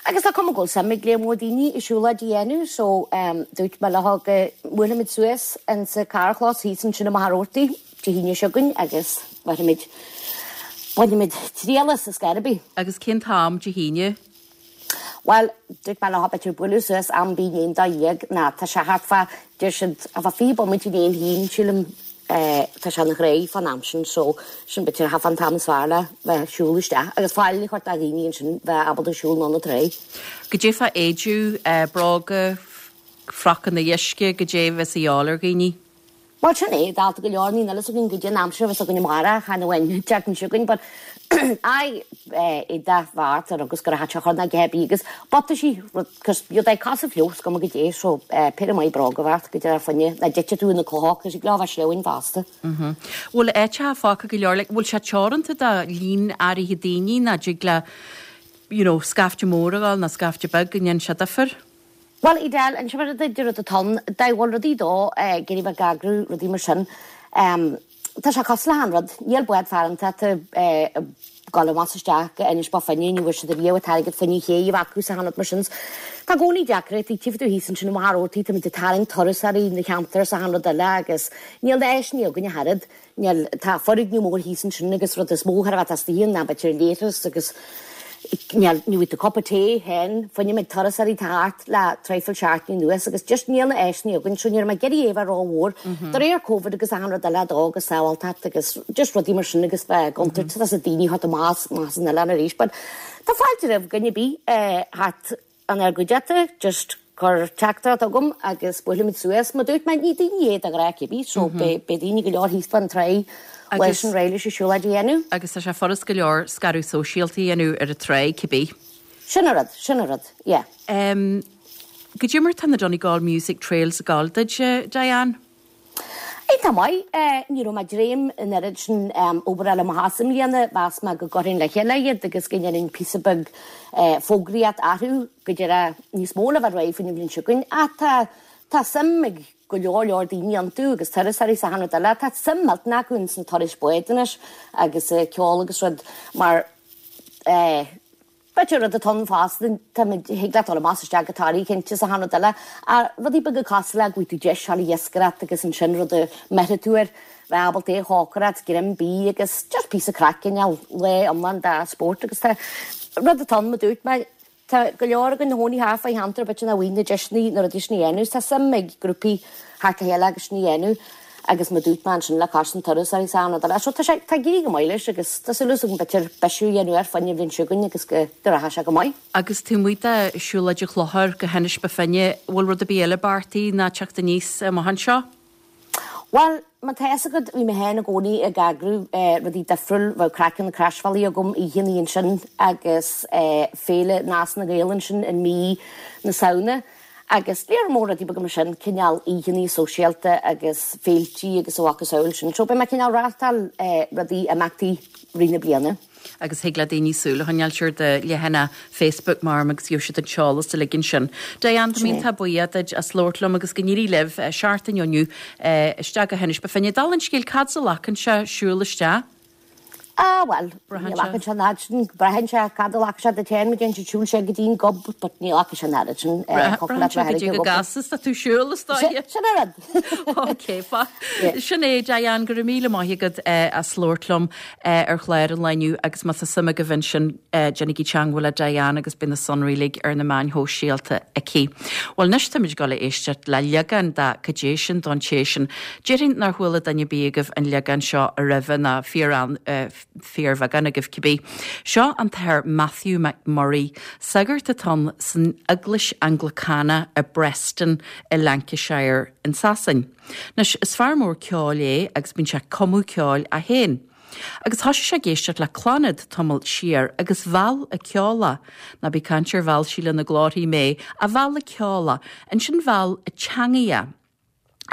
Agus tá cuma go bhfuil suim ag léir mór daoine i siúlóid a dhéanamh so dúirt mé leo go mbuailfimid suas insa carrchlós thíos ansin i Machaire Rabhartaigh Dé hAoine seo chugainn agus bainfimid bainfimid triail as ar scor ar bith. Agus cén t-am Dé hAoine? Bhuel, dúirt mé leo b'fhéidir bualadh suas am ar bith i ndiaidh a dó dhéag ná tá sé thart fá, deir siad, thart fá fiche bomaite i ndiaidh a haon, sílim, tá sé ina ghrey fán am sin so sin b'fhéidir thart fán t-am is fearr le bheith ag siúl isteach agus fáil a chur do dhaoine ansin bheith ábalta siúl anonn an tráigh. Goidé fá éidiú, bróga, frocanna uisce, goidé a bheas a dhíobháil ar dhaoine? Bhuel, sin é, dalta go leor, níl a fhios againn goidé an aimsir a bheas againn amárach, chan amháin an tseachtain seo chugainn, but aye, éadach bheart ar agus gur a hait a chur ná go heibí agus butaisí, rud, cos bíodh ag casadh fliuch, is cuma goidé, so péire maith bróga a bheart go dtí ar fuinne, ná dtitfidh tú ina cloch, cos ag leabhar sleamhain fosta. Bhfuil áiteacha fágtha go leor, like, bhfuil sé teoranta do líon áirithe daoine ná dtig le, you know, scaifte mór a ghabháil ná scaifte beag go ndéanann sé difear? Bhuel, Edel, an rud a deir rud atá ann, dá bhfuil rudaí dó, ag iarraidh bheith ag eagrú rudaí mar sin, tá sé cosúil le haon rud, níl bád farantacha ag dul amach is isteach go Inis Bó Finne, ní bhfuair siad ariamh an t-airgead fá choinne cé a bheith acu sa achan rud mar sin. Tá i gcónaí deacrachtaí, tchífidh tú thíos ansin i Machaire Rabhartaigh, táimid ag tarraingt turasóirí na cheantar is achan rud eile agus níl na áiseanna againn ach oiread, níl, tá foirgneamh mór thíos ansin agus rud is mó chóir a bheith teastaíonn ná b'fhéidir leithreas agus níl, ní bhfuil tú cupa tae féin, fá choinne méid turasóirí atá thart le traidhfil seachtainí anuas agus just níl na áiseanna againn so ní raibh mé ag iarraidh é a bheith rómhór de réir Covid agus achan rud eile dó agus sábháilteacht agus just rudaí mar sin agus bheith i gcontúirt tá daoine thart amach as an oileán arís but tá fáilte roimh dhuine ar bith thart An ar gcuideachta, just cuir teachtaireacht chugam agus buailfimid suas. Mar dúirt mé, ní daoine é de ghnáth cibé, so beidh daoine go leor thíos fán tráigh leis an réidh leis an siúlóid a dhéanamh. Agus tá sé furast go leor scaradh sóisialta a dhéanamh ar an tráigh cibé. Sin an rud, sin an rud, yeah. Goidé mar tá na Donegal Music Trails ag gabháil duit, Diane? Iontach maith. Ní raibh mé ag dréim an oiread sin obair a fháil amach as i mbliana. Mheas mé go gcuirfinn le chéile iad agus go ndéanfainn píosa beag fógraíocht orthu go deireadh níos mó le bheith réidh faoin bhliain seo chugainn. Ach tá tá suim ag go leor leor daoine iontu agus turasóirí is achan rud eile. Tá suim millteanach acu ins na turais báid anois agus ceol agus rud mar eh, B'fhéidir rud atá ann fosta, táimid, thig leat dul amach is isteach go Toraigh cinnte is achan rud eile, ach rudaí beaga cosúil le go bhfaighidh tú deis a ghabháil ag iascaireacht agus ansin rud a mbeirfidh tú air, bheith ábalta é a chócaireacht, greim bídh agus just píosa craic, cineál lá iomlán de spórt agus tá rud atá ann, mar dúirt mé, tá go leor againn ina chónaí thart fá cheantar b'fhéidir nach bhfaigheann na deiseanna na rudaí sin a dhéanamh, tá suim ag grúpaí theacht le chéile agus sin a dhéanamh. Agus mar dúirt mé ansin le cois an turasóirí is achan rud eile. So tá sé, tá ag éirí go maith leis agus tá súil agam b'fhéidir bisiú a dhéanamh air fá choinne an bhliain seo chugainn agus go, go rachaidh sé go maith. Agus taobh amuigh de siúlóid an Chlochair go hInis Bó Finne, bhfuil rud ar bith eile beartaithe ná teacht aníos amach anseo? Bhuel, má tá fhios agat, bhí mé féin i gcónaí ag eagrú rudaí difriúil, bheadh craic ar na Croisbhealaí agam oícheannaí ansin agus féile Nás na Gael ansin i mí na Samhna. Agus léar mór rudaí beaga mar sin, cineál oícheannaí sóisialta agus féiltí agus a mhacasamhail sin. So beidh mé cineál reáchtáil rudaí, imeachtaí rith na bliana. Agus thig le daoine súil a choinneáil ar do leathanach Facebook mar agus gheobhaidh siad an t-eolas uilig ansin. Diane, tá mé iontach buíoch duit as labhairt liom agus go n-éirí libh seachtain ó inniu isteach go hInis Bó Finne. Dála an scéil, cad as a ghlacann sé siúl isteach? Ah, bhuel, ní ghlacann sé an fhad sin, braitheann sé cad a ghlacann sé duit féin, má dhéanann siad siúl sé go dtí an gob, but ní ghlacann sé an oiread sin, Braitheann sé go dtí go gcasas tú siúl, is dóigh. Sin an rud. Ok, sin é, Diane, go raibh míle maith agat as labhairt liom ar chlár an lae inniu agus má tá suim agaibh ansin, déanaigí teagmháil le Diane agus beidh na sonraí uilig ar na meáin shóisialta aici. Bhuel, anois táimid ag dul a éisteacht le leagán de Cad é sin don té sin. Déarfainn nár chuala duine ar bith agaibh an leagán seo roimhe ná fíor fíorbheagán agaibh cibé. Seo an tAthair Matthew McMurray, sagart atá ann san Eaglais Anglacánach i bPreston i Lancashire in Sasain. Anois, is fear mór ceoil é agus bíonn sé ag cumadh ceoil é féin. Agus thoisigh sé ag éisteacht le Clannad tamall siar agus mheall a ceol é. Ná bí ag caint ar mheall Síle na Glórthaí mé, ach mheall a ceol é. Ansin mheall a teangaidh é.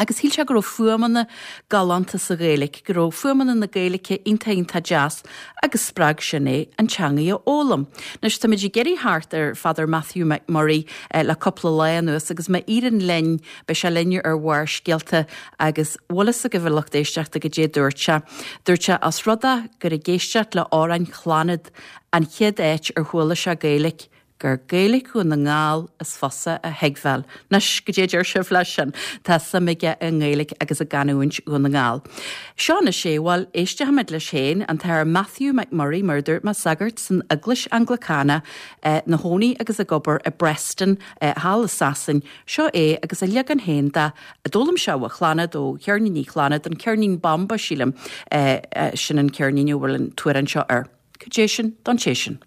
Agus shíl sé go raibh fuaimeanna galánta sa Ghaeilge, go raibh fuaimeanna na Gaeilge iontach iontach deas agus spreag sin é an teangaidh a fhoghlaim. Anois táimid ag iarraidh theacht ar Father Matthew McMurray le cúpla lá anuas agus má éiríonn linn, beidh sé linn ar Bharrscéalta agus bhfuil fhios agaibh a lucht éisteachta goidé dúirt sé. Dúirt sé os rud é gur ag éisteacht le amhráin Chlannad an chéad áit ar chuala sé Gaeilge, gur Gaeilge Dhún na nGall is fusa a thuigbheáil. Anois, goidé a deir sibh leis sin? Tá suim aige i nGaeilge agus i gcanúint Dhún na nGall. Seo anois é, bhuel, éistfimid leis féin, an tAthair Matthew McMurray, mar a dúirt mé, sagart san Eaglais Anglacánach, ina chónaí agus ag obair i bPreston, thall i Sasain. Seo é agus a leagan féin de, a d'fhoghlaim sé ó Chlannad, ó cheirníní Chlannad, an ceirnín Bomba, sílim, sin an ceirnín a bhfuil an t-amhrán seo air. Cad é sin don té sin?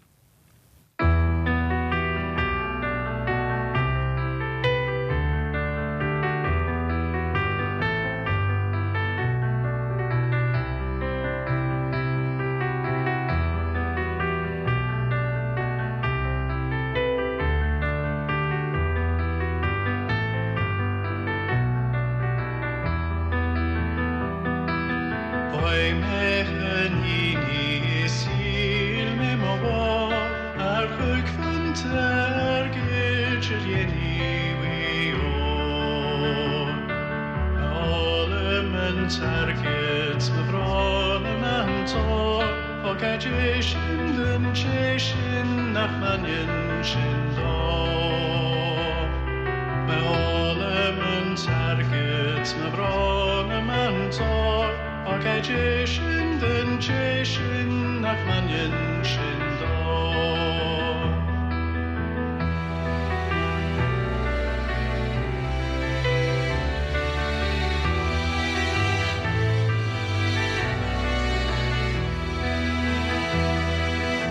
t-airgead 's mo bhrón i m'antóir Ó cad é sin den té sin nach mbaineann sin dó.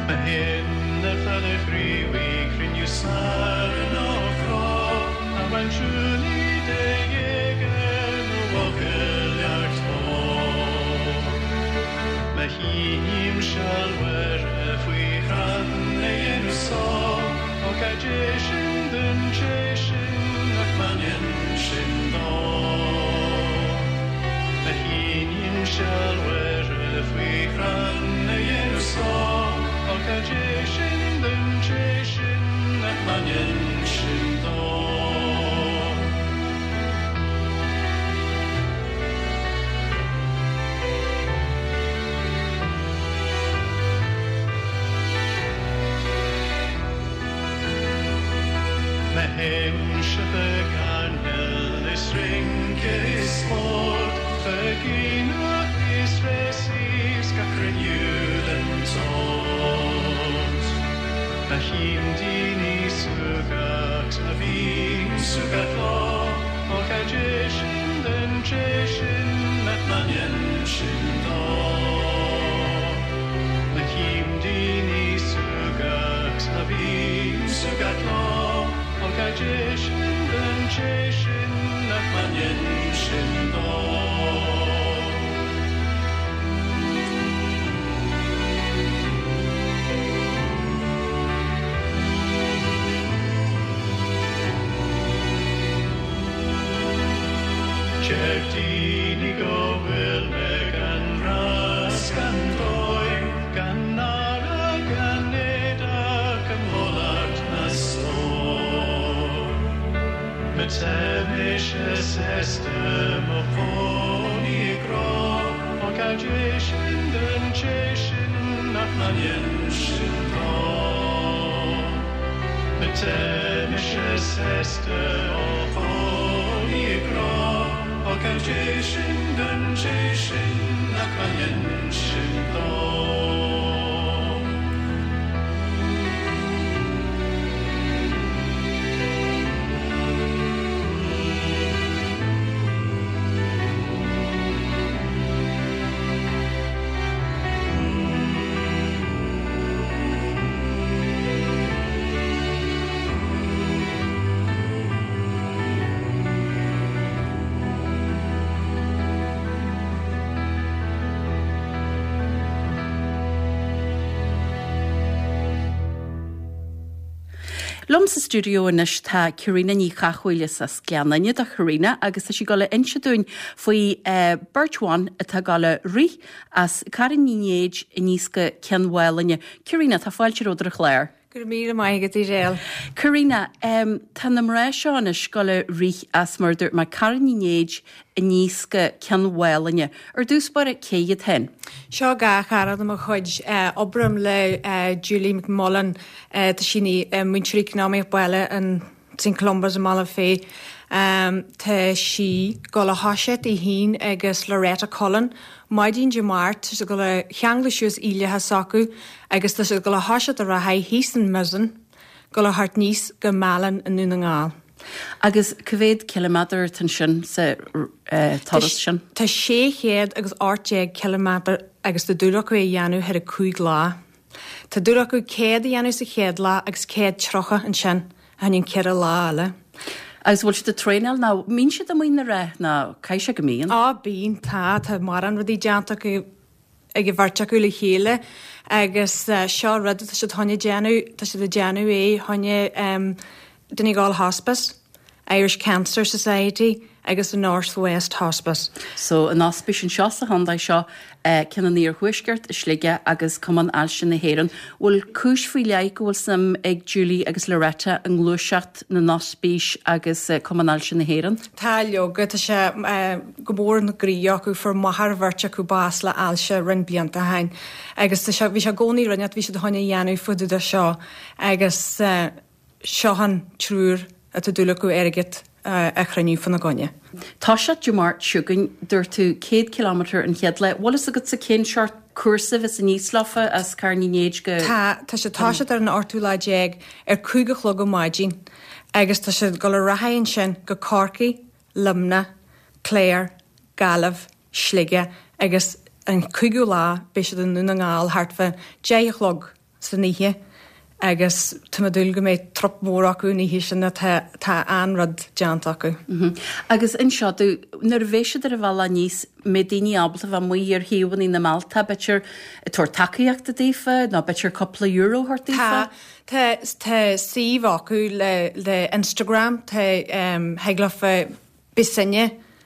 Mo shin a fada chriúigh cruinniú sar nó chró a bhain siúlaí de ghéaga nó bhfocail leacht ó. Má shíním seal Mhuire faoi chrann a dhéanamh só, ó cad é sin den té sin nach mbaineann sin dó. Má shíním seal Mhuire faoi chrann a dhéanamh só, ó cad é sin den té sin nach mbaineann sin dó. Má théimse chuig airneál is rince is spórt, chuig aonach is rásaí 's gach cruinniú den tsórt. Má chím daoine súgach 's má bhím súgach leo, ó cad é sin den té sin nach mbaineann sin dó. Má chím daoine súgach 's má bhím súgach leo, ó cad é sin den té sin nach mbaineann sin dó. Deir daoine go bhfuil mé gan rás gan dóigh, gan náire gan éadach i mullach na stór. Má tá mise sásta mo chónaí i gcró, ó cad é sin den té sin nach mbaineann sin dó. Má tá mise sásta mo chónaí i gcró, ó cad é sin den té sin nach mbaineann sin dó. Liom sa stiúideo anois tá Karina Ní Chathmhaoil as Gleann Fhinne do Karina agus tá sí ag dul a inse dúinn faoi uh, beirt bhan atá ag dul a rith as Carraig Uí Néid aníos go Cionn Mhálanna. Karina tá fáilte romhat ar an chlár. Go raibh míle maith agat Edel. Karina, um, tá na mná seo anois ag dul a rith as mar dúirt mé Carraig Uí Néid aníos go Cionn Mhálanna. Ar dtús báire cé hiad féin. Seo dhá chara de mo chuid uh, oibrím le uh, Julie McMullen uh, tá sí uh, múinteoir eacnamaíocht baile an St Columba's i mBealach Féich. Um, tá sí ag dul a thoiseacht í féin agus Loretta Cullen. Maidin Dé Máirt tá sí ag dul a cheangal suas uillithe s'acu agus tá sí ag dul a thoiseacht ar aghaidh thíos in Mizen, dul a theacht aníos go Málainn i nDún na nGall. Agus cá mhéad ciliméadar atá sin sa uh, turas sin? Tá sé chéad agus ocht déag ciliméadar agus tá dúil acu é a dhéanamh thar a cúig lá. Tá dúil acu céad a dhéanamh sa chéad lá agus céad tríocha ansin a an ceithre lá eile. Agus bhfuil siad ag traenáil nó mbíonn siad amuigh na rith nó caithfidh sé go mbíonn? Á bíonn tá tá mórán rudaí déanta acu ag an bheirt acu le chéile agus uh, seo rud tá siad chun déanamh tá siad ag déanamh é chun um, Donegal Hospice, Irish Cancer Society agus the North West Hospice. So an ospís anseo sa chontae seo uh, ceann an iarthuaiscirt i Sligeach agus Cumann Ailse na hÉireann. Bhfuil cúis faoi leith go bhfuil suim ag Julie agus Loretta i ngluaiseacht na n-ospís agus uh, Cumann Ailse na hÉireann? Tá leoga tá sé uh, go mór ina gcroí acu fuair máthair bheirt acu bás le ailse roinnt blianta ó shin. Agus tá sé bhí sé i gcónaí rinneat bhí siad chun a dhéanamh fúthu seo agus uh, seo an triúr atá dúil acu airgead a chruinniú fána gcoinne. Toiseacht Dé Máirt seo chugainn, dúirt tú céad kilometre an chéad lá. Bhfuil fhios agatsa cén seort cúrsa a bheas aníos leofa as Carn Uí Néid go. Tá, tá sé toiseacht ar an ochtú lá déag ar cúig a chlog ó maidin agus tá sé ag dul ar aghaidh ansin go Corcaigh, Luimneach, Cléir, Gaillimh, Sligeach agus an cúigiú lá beidh siad i nDún na nGall thart fá deich a chlog san oíche agus tá mé ag dúil go mbeidh trup mór acu an oíche sin tá tá an-rud déanta acu. Agus inis domh, nuair a bheidh siad ar a bhealach aníos, mbeidh daoine ábalta bheith amuigh ar thaobhanna na mbealtaí, b'fhéidir ag tabhairt tacaíochta daofa nó b'fhéidir cúpla euro a thabhairt daofa? Tá, tá tá suíomh acu le le Instagram, tá thig leofa beidh sinne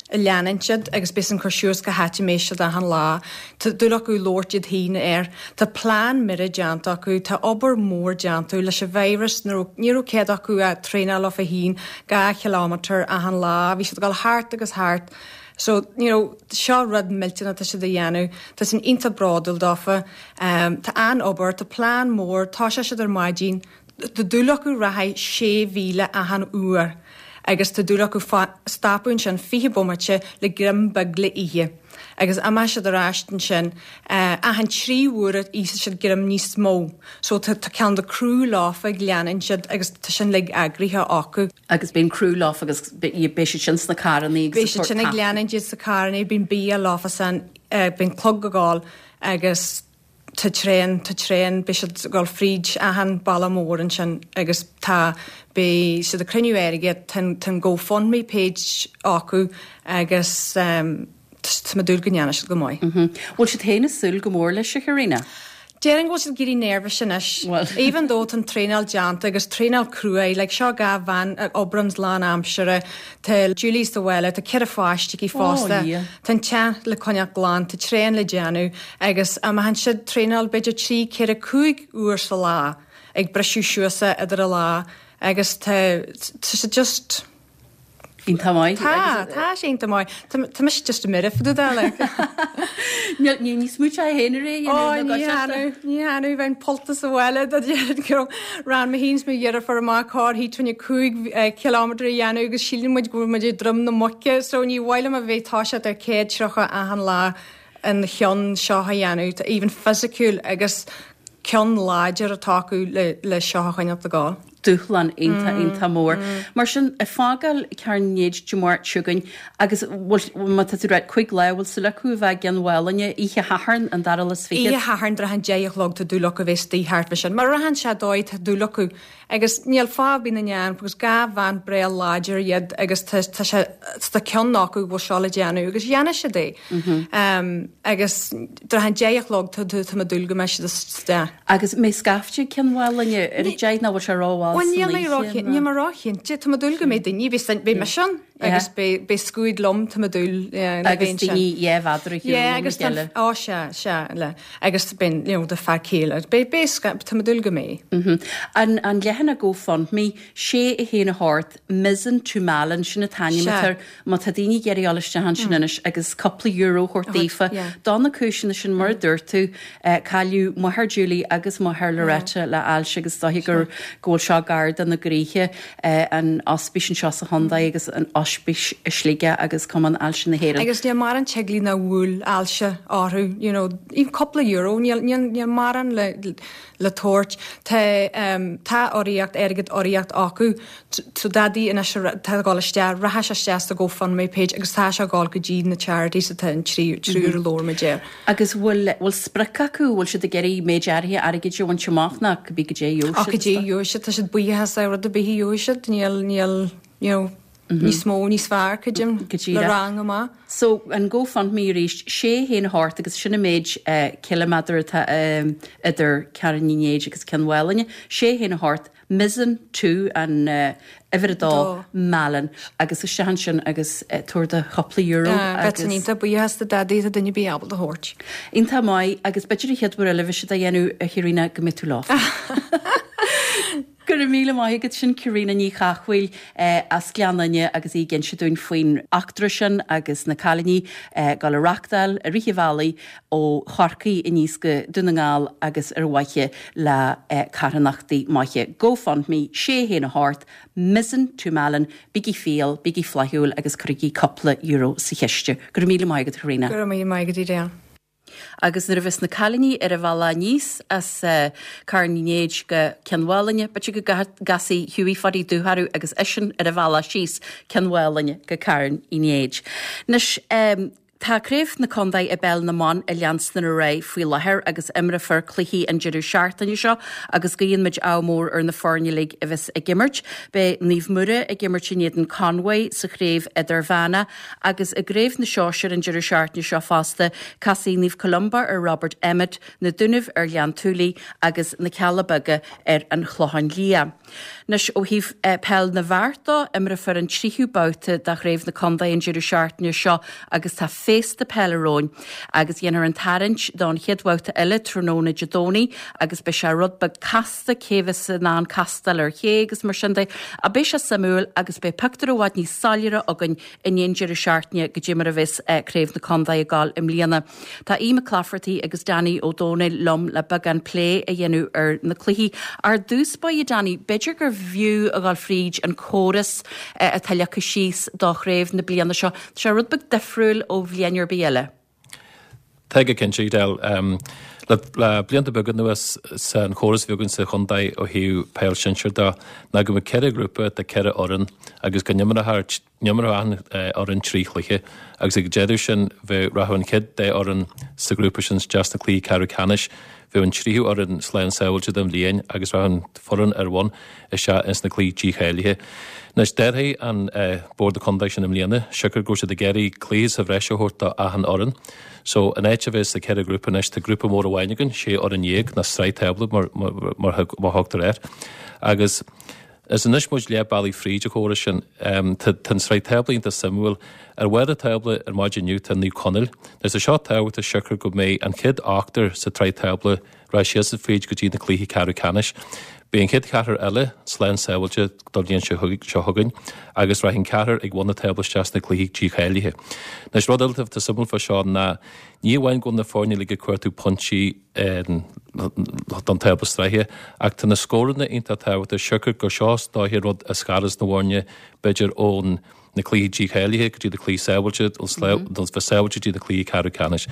ag leanúint iad agus beidh san cur suas cá háit a mbeidh siad achan lá. Tá dúil acu labhairt iad féin air. Tá plean mire déanta acu, tá obair mhór déanta leis an virus, ní raibh ní raibh cead acu a traenáil leofa féin dhá chileámeter achan lá, bhí siad ag dul thart agus thart. So, you know, seo rud millteanach atá siad a dhéanamh, tá sin iontach bródúil dófa. Tá an-obair, tá plean mór, toiseoidh siad ar maidin, tá dúil acu rachaidh sé mhíle achan uair agus tá dúil acu stopadh ansin fiche bomaite le greim beag le ithe agus imeoidh siad ar ais ansin achan trí huaire íosfaidh siad greim níos mó so tá tá ceann de criú leofa ag leanúint siad agus tá sin uilig eagraithe acu. Agus bíonn criú leofa agus beidh siad sin sna carrannaí agus Beidh siad sin ag leanúint iad sa carrannaí, bíonn bia leofa san, bíonn clog ag gabháil agus Tá traein, tá traein, beidh siad ag dul fríd achan baile mór ansin agus tá, beidh siad ag cruinniú airgid, tá an, tá an GoFundMe page acu agus tá mé ag dúil go ndéanfaidh siad go maith. Bhfuil siad féin ag súil go mór leis, a Chaitríona? Déarfainn go bhfuil siad ag éirí nervous anois. Even though tá an traenáil déanta agus traenáil crua é, like seo dhá bhean a oibreanns lán aimsire, tá Julie sa bhaile, tá ceithre pháiste aici fosta, tá an teach le coinneáil glan, tá traenáil le déanamh agus imeochann siad traenáil b'fhéidir trí, ceithre, cúig uair sa lá ag briseadh suas é idir an lá agus tá, tá siad just. Iontach maith. Tá, tá sé iontach maith. Tá mise just ag mire fá dtaobh de, like. Níl, ní níos mó te féin ar é Ó, ní dhéanamh, ní dhéanamh, bheinn pollta sa bhaile dá déarfainn go raibh ran mé féin is mo dheirfiúr amach corr-thí trína cúig kilometre a dhéanamh agus síleann muid go bhfuil muid ag Droim na Muice, so ní mhaith liom a bheith toiseacht ar céad tríocha achan lá an cheann seo a dhéanamh, tá even fisiciúil agus ceann láidir atá acu le le seo a choinneáil ag gabháil. Dúshlán iontach, iontach mór. Mar sin, ag fágáil Carn Néid Dé Máirt seo chugainn agus bhfuil, má tá tú ag rá cúig lá, bhfuil súil acu a bheith i gCionn Mhálanna oíche Shathairn, an dara lá is fichead? Oíche Shathairn, trátha an deich a chlog tá dúil acu a bheith istigh thart fá sin. Má rachann sé dóigh tá dúil acu agus níl fáth ar bith nach ndéanfaidh because dhá bhean breá láidir iad agus tá tá sé tá ceann acu go bhfuil seo le déanamh agus dhéanfaidh siad é. Agus trátha an deich a chlog tá tá mé ag dúil go mbeidh siad istigh. Agus mbeidh scaifte ag Cionn Mhálanna ar a deich nó bhfuil sé rómhall Bhuel san níl mé oíche ró nó? níl mé róchinnte. Tá mé ag dúil go mbeidh daoine, beidh beidh mise ann agus beidh beidh scuad liom tá mé ag dúil yeah le Agus bheith ansin. daoine dhá mhéadar ar shiúl Yeah óna agus tá chéile. ó sea sea le agus beidh you know do fear céile beidh beidh sca tá mé ag dúil go mbeidh. An an leathanach GoFundMe, sé a haon a hocht, Mizen to Malin, sin an t-ainm Sea. atá air. Má tá daoine ag iarraidh dul isteach ansin anois agus cúpla euro a thabhairt daofa, yeah. do na cúiseanna sin mar a dúirt tú, cailleadh máthair Julie agus máthair Loretta le ailse agus is dóiche gur go bhfuil seo gar do na gcroíthe, an ospís anseo sa chontae agus an ospís i Sligeach agus Cumann Ailse na hÉireann. Agus níl mórán teaghlaigh nach bhfuil ailse orthu, you know, even cúpla euro, níl, níl, níl mórán le, le tabhairt. Tá, tá urraíocht, airgead urraíocht acu. So dadaí anois atá ag dul isteach, rachaidh sé isteach sa GoFundMe page agus tá sé ag dul go dtí na charities atá an trí, triúr a labhair muid air. Agus bhfuil, bhfuil sprioc acu, bhfuil siad ag iarraidh méid áirithe airgid a bhaint amach nó cibé goidé a gheobhaidh siad? Goidé a gheobhaidh siad, tá siad buíoch as rud ar bith a gheobhaidh siad, níl, níl, you know, níos mó, níos fearr, creidim, le rang amach. So, an GoFundMe arís, sé haon a hocht agus sin an méid ciliméadar atá idir Carn Uí Néid agus Cionn Mhálanna, sé haon a hocht, Mizen to an uimhir a dó, Malin, agus isteach ansin agus tabhair do chúpla euro agus. Bheinn iontach buíoch as do dadaí tá duine ar bith ábalta a thabhairt. Iontach maith agus b'fhéidir an chéad uair eile a bheidh siad á dhéanamh a Chaitríona go mbeidh tú leo. Go raibh míle maith agat sin Caríona Ní Chathmhaoil as Gleann Fhinne agus í ag inse dúinn faoin eachtra sin agus na cailíní ag dul a reachtáil i rith an bhealaigh ó Chorcaigh aníos go Dún na nGall agus ar mhaithe le carthanachtaí maithe. GoFundMe sé haon a hocht Mizen to Malin, bígí fial, bígí flaithiúil agus cuirigí cúpla euro sa chiste. Go raibh míle maith agat Caríona. Go raibh míle maith agat Edel. Agus nuair a bheas na cailíní ar a bhealach aníos as Carn Uí Néid go Cionn Mhálainne, b'fhéidir go gcasfaidh Hughie Phadaí Dubh orthu agus eisean ar a bhealach síos Cionn Mhálainne go Carn Uí Néid. Anois, tá Craobh na Contae i bPeil na mBan ag leanstan ar aghaidh faoi láthair agus imreofar cluichí an deireadh seachtaine seo agus guíonn muid ádh mór ar na foirne uilig a bheas ag imirt. Beidh Naomh Muire ag imirt in éadan Conway sa chraobh idirmheánach agus i gcraobh na sóisear an deireadh seachtaine seo fosta, casfaidh Naomh Columba ar Robert Emmet, Na Dúnaibh ar Ghleann tSúilí agus Na Cealla Beaga ar an Chlochán Liath. Anois ó thaobh peil na bhfear de, imreofar an tríú babhta de chraobh na contae an deireadh seachtaine seo agus tá féasta peile romhainn agus dhéanfar an tarraingt don chéad bhabhta eile tráthnóna Dé Domhnaigh agus beidh sé rud beag casta cé bheas in ann castáil ar ché agus mar sin de. Ach beidh sé suimiúil agus beidh pictiúr i bhfad níos soiléire againn i ndiaidh an deireadh seachtaine goidé mar a bheas craobh na contae ag gabháil i mbliana. Tá Aodh Mac Laifeartaigh agus Danny Ó Dónaill liom le beagán plé a dhéanamh ar na cluichí. Ar dtús báire Danny, b'fhéidir gur bhfiú a dhul fríd an córas atá leagtha síos do chraobh na bliana seo. Tá sé rud beag difriúil ó bhliain ar bith eile. Tá go cinnte, Edel. Le blianta beaga anuas an chóras a bhí againn sa chontae ó thaobh peil sinsir de ná go mbeadh ceithre ghrúpa de ceithre fhoireann agus go n-imreodh achan fhoireann trí chluiche agus ag deireadh sin bheadh rachadh an chéad dá fhoireann sa ghrúpa sin isteach sna cluichí ceathrú ceannais, bheadh an tríú fhoireann slán sábháilte don bhliain agus rachadh an foireann ar bhun isteach ins na cluichí dícháilithe. Anois d'athraigh an Bord Contae sin i mbliana, siocair go raibh siad ag iarraidh cluiche sa bhreis a thabhairt do achan fhoireann. So in áit a bheith sa ceithre ghrúpa anois tá grúpa mór amháin againn, sé fhoireann dhéag, nó sraith tábla mar, mar, mar thugtar air. Agus is anois muid leath bealaigh fríd an chóras sin. Tá an sraith tábla iontach suimiúil. Ar bharr an tábla ar maidin inniu tá Naomh Conaill. Anois tá seo tábhachtach siocair go mbeidh an chéad ochtar sa tsraith tábla rachaidh siadsan fríd go dtí na cluichí ceathrú ceannais. Beidh an chéad cheathrar eile slán sábháilte don bhliain seo chugainn agus rachaidh an ceathrar ag bun an tábla isteach sna cluichí dícháilithe. Anois rud eile atá suimiúil fá seo ná ní amháin go bhfuil na foirne uilig ag cuartú pointí don tábla sraithe ach tá na scóranna iontach tábhachtach siocair gur seo is dóiche rud a scaras na bhfoirne b'fhéidir ón na cluichí dícháilithe go dtí na cluichí sábháilte, nó bheith sábháilte go dtí na cluichí ceathrú ceannais.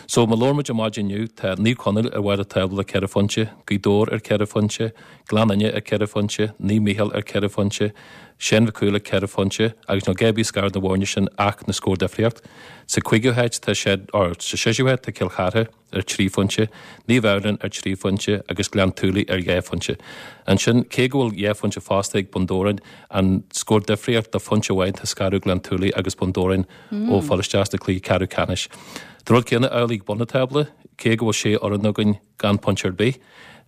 So má labhair muid ar maidin inniu, tá Naomh Conaill ar bharr an tábla le ceithre phointe, Gaoth Dobhair ar ceithre phointe, Gleann Fhinne ar ceithre phointe, Naomh Mícheál ar ceithre phointe, Séan Mhic Cumhaill ar ceithre phointe agus níl a dhath ar bith ag scaradh na bhfoirne sin ach na scór difríocht. Sa cúigiú háit tá sé, or sa séú háit tá Cill Chartha ar trí phointe, Naomh Adhamhnáin ar trí phointe agus Gleann tSúilí ar dhá phointe. Ansin, cé go bhfuil dhá phointe fosta ag Bun Dobhráin, an scór difríocht de phointe amháin tá scaradh Gleann tSúilí agus Bun Dobhráin ó fáil isteach sna cluichí ceathrú ceannais. Tá an rud céanna amhlaidh ag bun an tábla, cé go bhfuil sé fhoireann againn gan pointe ar bith,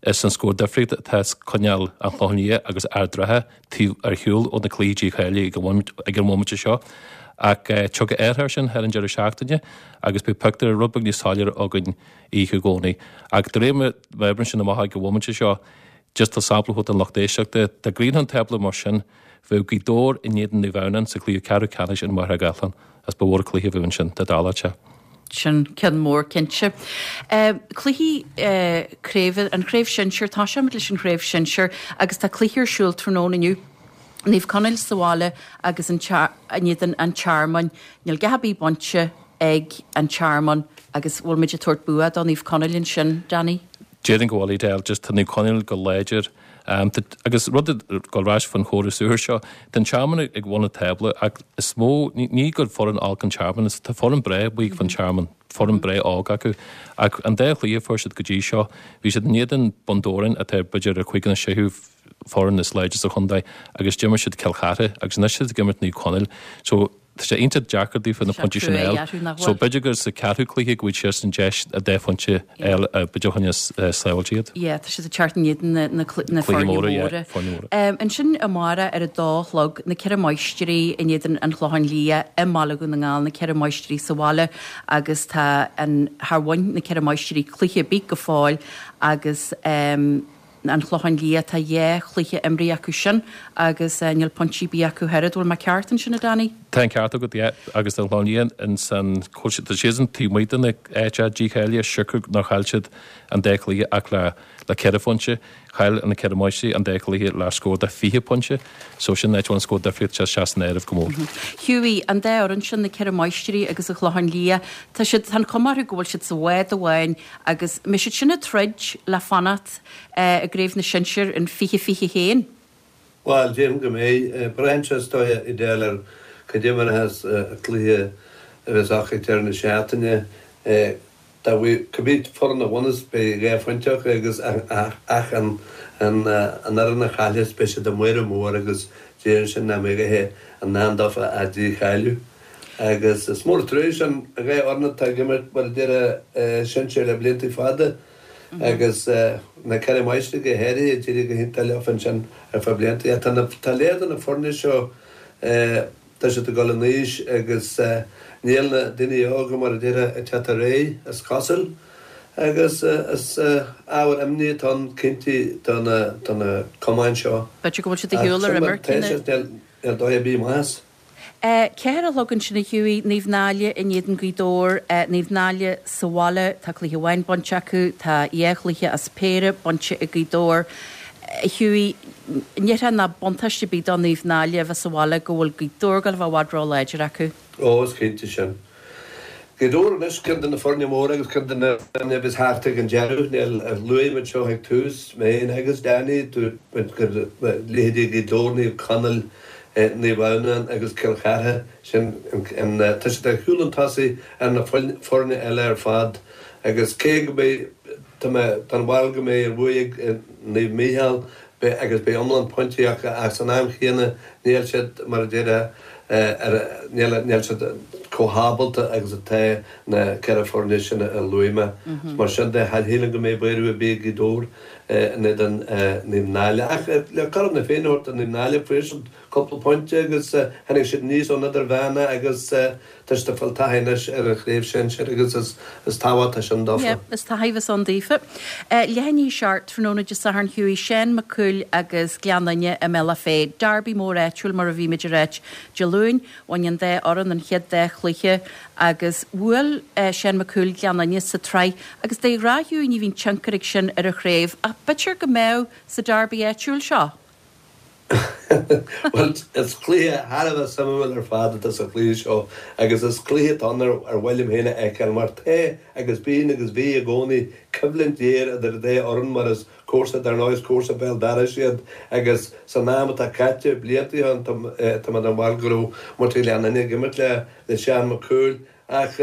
is an scór difríocht atá ag coinneáil an Chlocháin Liath agus Ard an Rátha taobh ar shiúl ó na cluichí dícháilithe ag an bhomaite seo. Ach tiocfaidh athrú air sin thar an deireadh seachtaine agus beidh pictiúr rud beag níos soiléire againn oíche Dhomhnaigh. Ach de réir mar a oibríonn sin amach ag an bhomaite seo, just le sampla a thabhairt don lucht éisteachta, dá gcríochnódh an tábla mar sin, bheadh Gaoth Dobhair in éadan Naomh Adhamhnáin sa chluiche ceathrú ceannais in Machaire Gathlán agus ba mhór an cluiche a bheadh ansin dá dtarlódh sé. Sin ceann mór cinnte. Cluichí craoibhe, an chraobh shinsir, toiseoimid leis an chraobh shinsir agus tá cluiche ar siúl tráthnóna inniu. Naomh Conaill sa bhaile agus in éadan an Tearmainn. Níl a dhath ar bith bainte ag an Tearmann agus bhfuil muid ag tabhairt bua do Naomh Conaill ansin, Danny? Déarfainn go bhfuil, Edel, just tá Naomh Conaill go láidir. Agus rud ag dul ar ais faoin chóras úr seo, tá an Tearmann ag bun an tábla ach is mó, ní gur foireann olc an Tearmann, tá foireann breá amuigh faoin Tearmann, foireann breá óg acu. Ach an dá chluiche a fuair siad go dtí seo, bhí siad in éadan Bun Dobhráin atá b'fhéidir ar chúigiú nó séú foireann is láidre sa chontae agus d'imir siad Cill Chartha agus anois tá siad ag imirt Naomh Conaill. So tá sé iontach deacair daofa na pointí sin a fháil. So b'fhéidir gur sa ceathrú cluiche go bhfaighidh siadsan deis a dá phointe a fháil b'fhéidir a choinneos sábháilte iad. Yeah, tá siad ag teacht in éadan na, na, na foirne móra. Yeah, foirne móra. Um, ansin amárach ar a dó a chlog, na Ceithre Máistrí in éadan an Chlocháin Liath i mBaile Dhún na nGall, na Ceithre Máistrí sa bhaile agus tá an, char bhain na Ceithre Máistrí cluiche ar bith go fóill agus um, an Clochán Liath, tá dhá chluiche imrithe acu sin agus níl pointí ar bith acu ach oiread. Bhfuil mé ceart ansin, a Danny? Tá an ceart agat, yeah, agus an Clochán Liath ins an, tá siadsan taobh amuigh de na áit dícháilithe, siocair nár chaill siad an dá chluiche ach le le ceithre phointe. Chaill na Ceithre Máistrí an dá chluiche le scór de fiche pointe, so sin áit a bhfuil an scór difríocht sé sé san áireamh go mór. Hughie, an dá fhoireann sin, na Ceithre Máistrí agus an Clochán Liath, tá siad, tá an chuma orthu go bhfuil siad sa bhád amháin agus mbeidh siad sin ag troid le fanacht i gCraobh na Sinsear in fiche fiche haon. Bhuel, déarfainn go mbeidh. Braitheann sé is dóigh, Edel, ar cad é mar a bheas an cluiche a bheas acu ag deireadh na seachtaine. Dá bhfuil cibé foireann a bhuafas beidh dhá phointe acu agus ach an fhoireann a chaillfeas beidh siad i mbaol mór agus déarfainn sin nach mbeidh a i ndán dófa ach dícháiliú. Agus is mór an trua sin an dhá fhoireann atá ag imirt mar a déarfá sinsir le blianta fada agus na Ceithre Máistrí go háirithe d'éirigh go hiontach leofa ansin ar feadh blianta. Tá lear de na foirne seo Tá siad ag dul in aois agus níl na daoine óga, mar a déarfá, ag teacht ar aghaidh, is cosúil. Agus is ábhar imní atá ann, cinnte, do na cumainn seo. B'fhéidir go bhfuil siad ar shiúl ar imirce na. Níl dóigh ar bith amach as. Ceathair a chlog ansin a Hughie, Naomh Náille in éadan Gaoth Dobhair, Naomh Náille sa bhaile, tá cluiche amháin bainte acu, tá dhá chluiche as péire bainte ag Gaoth Dobhair. Hughie, Ní déarfá nach buntáiste ar bith do Naomh Náille a bheith sa bhaile go bhfuil Gaoth Dobhair ag gabháil a bheith i bhfad ró-láidir acu. Ó, is cinnte sin. Gaoth Dobhair anois, ceann de na foirne móra agus ceann de na foirne a bheas thart ag an deireadh. Níl, luaigh muid seo ag tús, mé féin agus Danny, dúirt muid gur leithéidí Ghaoth Dobhair, Naomh Conaill, Naomh Adhamhnáin agus Cill Chartha, sin an, tá siad ar chúl an tosaigh ar na foirne eile ar fad agus cé go mbeidh, Tá mé den bharúil go mbeidh an bhuaidh ag Naomh Mícheál agus beidh iomlán pointí acu ach san am chéanna níl siad, mar a déarfá, ar, níl, níl siad chomh hábalta agus atá na ceithre foirne sin a luaigh mé. Mar sin de, cha shílim go mbeidh buaireamh ar bith ag Gaoth Dobhair in éadan Naomh Náille. Ach le cothrom na Féinne a thabhairt do Naomh Náille, fuair siad cúpla pointe agus tháinig siad aníos ón Idirmheánach agus tá siad ag fáil taithí anois ar an chraobh sinsir agus is tábhachtach sin dófa. Yeah, is taithí a bheas ann daofa. Leath i ndiaidh a seacht tráthnóna Dé Sathairn Hughie, Seán Mac Cumhaill agus Gleann Fhinne i mBealach Féich. Derby mór áitiúil mar a bhí muid ag ráit Dé Luain. Bhain an dá fhoireann an chéad dá chluiche agus bhuail Seán Mac Cumhaill Gleann Fhinne sa tsraith agus de ghnáth Hughie ní bhíonn tionchar ag sin ar an chraobh ach b'fhéidir go mbeadh sa derby áitiúil seo. Bhuel, is cluiche thar a bheith suimiúil ar fad atá sa chluiche seo agus is cluiche atá ann ar mhaith liom féin a fheiceáil mar tá agus bíonn agus bhí i gcónaí coimhlint ghéar idir an dá fhoireann mar is comharsa dar ndóigh is comharsa béal dorais iad agus san am atá caite, blianta ó shin, tá mé den bharúil go raibh muintir Ghleann Fhinne ag imirt le le Seán Mac Cumhaill ach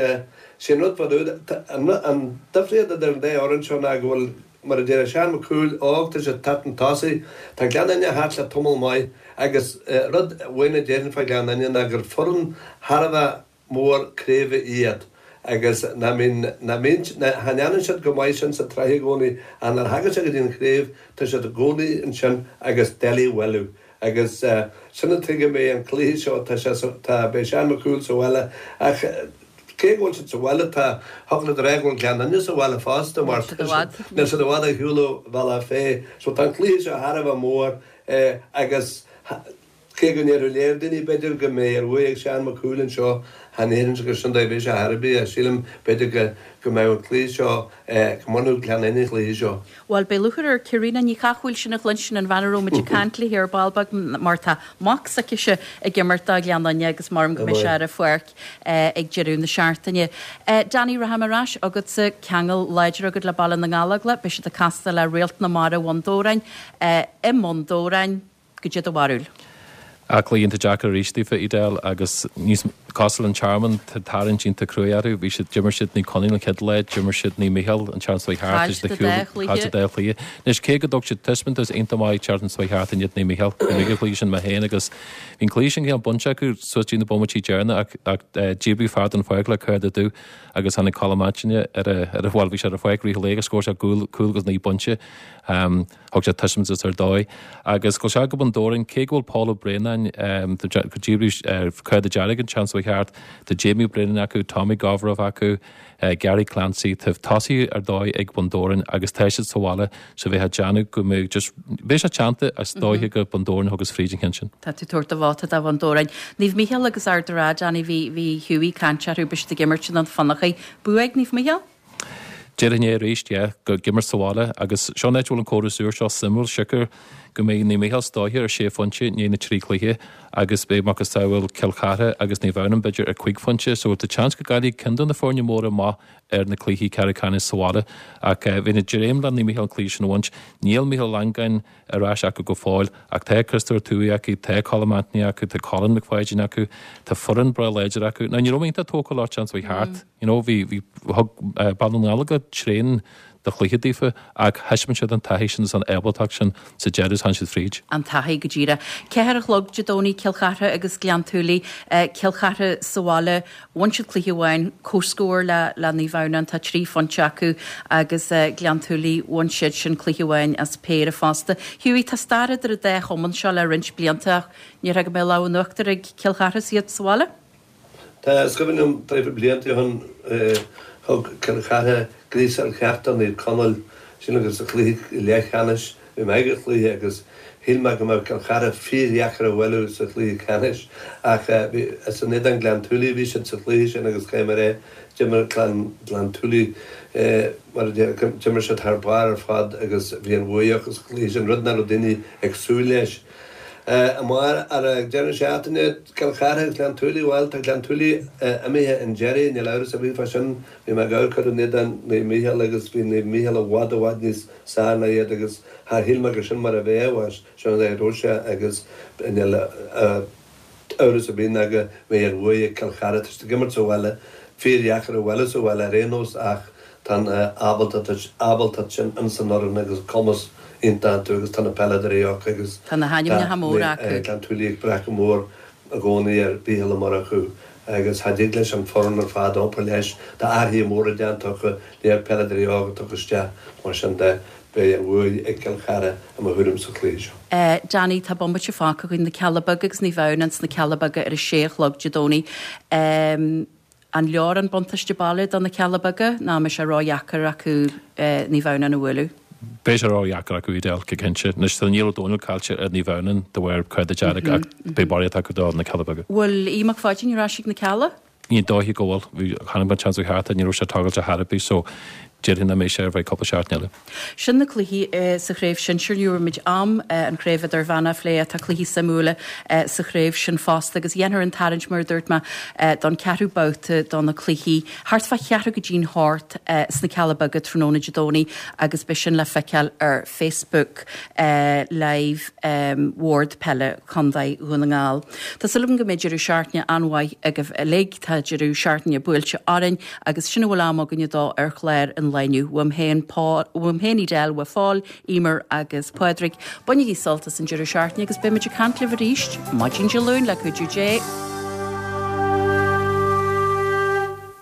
sé an rud fá dtaobh, an difríocht idir an dá fhoireann seo ná go bhfuil Mar a deir Seán Mac Cumhaill óg, tá sé ag teacht chun tosaigh. Tá Gleann Fhinne thart le tamall maith agus rud amháin a déarfainn fá Ghleann Fhinne ná gur foireann thar a bheith mór craoibhe iad agus nach mbíonn, nach mbíonn, cha ndéanann siad chomh maith sin sa tsraith i gcónaí ach nuair a thagann sé go dtí an chraobh tá siad i gcónaí ansin agus doiligh a bhualadh agus sin an tuige a mbeidh an cluiche seo, tá sé, tá, beidh Seán Mac Cumhaill sa bhaile ach Cé go bhfuil siad sa bhaile, tá, thiocfadh leat a rá go bhfuil Gleann Fhinne sa bhaile fosta mar tá siad, níl siad i bhfad ar shiúl ó Bhealach Féich. So tá an cluiche seo thar a bheith mór agus cé go ndéarfadh léir daoine b'fhéidir go mbeidh an bhuaidh ag Seán Mac Cumhaill anseo, chan déarfainnse gur sin dóigh a bheidh sé chor ar bith. Sílim b'fhéidir go go mbeadh an cluiche seo, go mbainfeadh Gleann Fhinne an cluiche seo. Bhuel, beidh lúcháir ar Caitríona Ní Chathmhaoil sin a chluinstin, an bhean a raibh muid ag caint léi ar ball beag, mar tá mac s'aicise ag imirt do Ghleann Fhinne agus maram go mbeidh sé ar an pháirc ag deireadh na seachtaine. Danny, rachaidh mé ar ais chugatsa, ceangal láidir agat le Baile na nGallóglach, beidh siad ag castáil le Réalt na Mara Bhun Dobhráin i mBun Dobhráin. Goidé do bharúil? Ah, cluiche iontach deacair arís daofa, Edel, agus níos cosúil an Tearmann, tá tarraingt iontach cruaidh orthu. Bhí siad, d'imir siad Naomh Conaill an chéad lá, d'imir siad Naomh Mícheál an tseachtain seo thart, Chaill siad an dá chluiche. Chaill siad an dá chluiche. Anois, cé go dtug siad taispeántas iontach maith tseachtain seo thart in éadan Naomh Mícheál, bhí mé ag an chluiche sin mé féin agus bhí an cluiche sin cineál bainte acu suas dtí na bomaití deireanacha ach, ach díbríodh fear den pháirc le cárta dubh agus tháinig Colm Antaine ar a, ar a, bhuel, bhí sé ar an pháirc i rith an lae agus scór sé cúl, cúl agus naoi bpointe. Thug sé taispeántas ar dóigh. Agus gabhfaidh sé go Bun Dobhráin, cé go bhfuil Pól Ó Braonáin, go díbríodh cárta dearg an tseachtain seo a cheart. Tá Jamie Brennan acu, Tommy Govrov acu, Gary Clancy, tá tosaithe ar dóigh ag Bun Dobhráin agus tá siad sa bhaile so bheifeá ag déanamh go mbeadh just beidh sé teannta is dóiche go Bun Dobhráin a thugas fríd an cheann sin. Tá tú tabhairt do vóta do Bhun Dobhráin. Naomh Mícheál agus Ard an Rátha, Danny, bhí bhí Hughie ag caint orthu, beidh siad ag imirt i nDún Fionnachaidh. Bua ag Naomh Mícheál? Déarfainn é arís, yeah, go ag imirt sa bhaile agus seo an áit a bhfuil an córas úr seo suimiúil, siocair go mbeidh Naomh Mícheál is dóiche ar sé phointe i ndiaidh na trí chluiche agus beidh macasamhail Cill Chartha agus Naomh Adhamhnáin b'fhéidir ar cúig phointe so tá seans go gcaillfidh ceann de na foirne móra amach ar na cluichí ceathrú ceannais sa bhaile ach bheinn ag dréim le Naomh Mícheál an cluiche sin a bhaint. Níl Mícheál Ó Longáin ar ais acu go fóill ach tá Christopher Tuohy acu, tá Colm Anthony acu, tá Colin McPhaidin acu, tá foireann breá láidir acu. Now ní raibh mé iontach tógtha leo an tseachtain seo thart, you know, bhí, bhí, thug Baile na nGall go tréan de chluiche daofa ach thaispeáin siad an taithí sin is an ábaltacht sin sa deireadh is tháinig siad fríd. An taithí go díreach. Ceathair a chlog Dé Domhnaigh, Cill Chartha agus Gleann tSúilí. Cill Chartha sa bhaile, bhain siad cluiche amháin, comhscór le le Naomh Adhamhnáin, tá trí phointe acu agus Gleann tSúilí, bhain siad sin cluiche amháin as péire fosta. Hughie, tá stair idir an dá chumann seo le roinnt blianta ach ní déarfá go mbeidh lámh in uachtar ag Cill Chartha is iad sa bhaile? Tá, is cuimhin liom traidhfil blianta ó shin thug Cill Chartha gríosadh ar cheart do Naomh Conaill, sin agus sa chluiche leathcheannais, bhí mé ag an chluiche agus shíl mé go mbeadh Cill Chartha fíordheacair a bhualadh sa chluiche ceannais ach bhí, is in éadan Gleann tSúilí a bhí siad sa chluiche sin agus caithfidh mé a rá, d'imir clann Ghleann tSúilí mar a déarfá, d'imir siad thar barr ar fad agus bhí an bhuaidh acu sa chluiche sin, rud nach raibh daoine ag súil leis. Amárach ar an deireadh seachtaine, Cill Chartha agus Gleann tSúilí, bhuel, tá Gleann tSúilí imithe chun deiridh, níl amhras ar bith fá sin. Bhí mé ag amharc orthu in éadan Naomh Mícheál agus bhí Naomh Mícheál i bhfad i bhfad níos fearr ná iad agus char shíl mé gur sin mar a bheadh, bhuel, sin an dóigh a raibh sé agus níl amhras ar bith ná go mbeidh an bhuaidh ag Cill Chartha. Tá siad ag imirt sa bhaile, fíordheacair a bhualadh sa bhaile ar aon nós ach tá an ábaltacht sin ins an fhoireann agus cumas iontach iontu agus tá na peileadóirí acu agus Tá na hainmneacha móra acu. Gleann tSúilí ag brath go mór i gcónaí ar Mhícheál Ó Murchú agus cha dtig leis an foireann ar fad iompar leis. Tá athruithe móra déanta acu, léir peileadóirí óga tugtha isteach, mar sin de beidh an bhuaidh ag Cill Chartha i mo thuairim sa chluiche seo. Danny, tá bomaite fágtha againn, Na Cealla Beaga agus Naomh Adhamhnáin sna Cealla Beaga ar a sé a chlog Dé Domhnaigh. An leor an buntáiste baile do na Cealla Beaga nó an mbeidh sé ródheacair acu Naomh Adhamhnáin a bhualadh? Beidh sé ródheacair acu Edel, go cinnte. Anois tá Niall Ó Dónaill caillte ar Naomh Adhamhnáin de bharr cárta dearg ach beidh barraíocht acu do na Cealla Beaga. Bhfuil Aodh Mac Pháidín ar ais ag na Cealla? Ní dóiche go bhfuil. Bhí, chonaic mé an tseachtain seo thart é, ní raibh sé ag tógáil ar chor ar bith so déarfainn nach mbeidh sé ar feadh cúpla seachtain eile. Sin na cluichí sa chraobh shinsir. Ní raibh muid am an chraobh idirmheánach a phlé ach tá cluichí suimiúla sa chraobh sin fosta agus dhéanfar an tarraingt mar a dúirt mé don ceathrú babhta do na cluichí thart fá cheathrú go dtí'n hocht sna Cealla Beaga tráthnóna Dé Domhnaigh agus beidh sin le feiceáil ar Facebook Live Bhord Peile Chontae Dhún na nGall. Tá súil agam go mbeidh deireadh seachtaine an-mhaith agaibh uilig. Tá deireadh seachtaine buailte orainn agus sin a bhfuil am againne dó ar chlár an lae inniu. Uaim féin, Paul, uaim féin Edel, uaidh Phól, Emer agus Pádraig. Bainigí sult as an deireadh seachtaine agus beidh muid ag caint libh arís maidin Dé Luain le cuidiú Dé.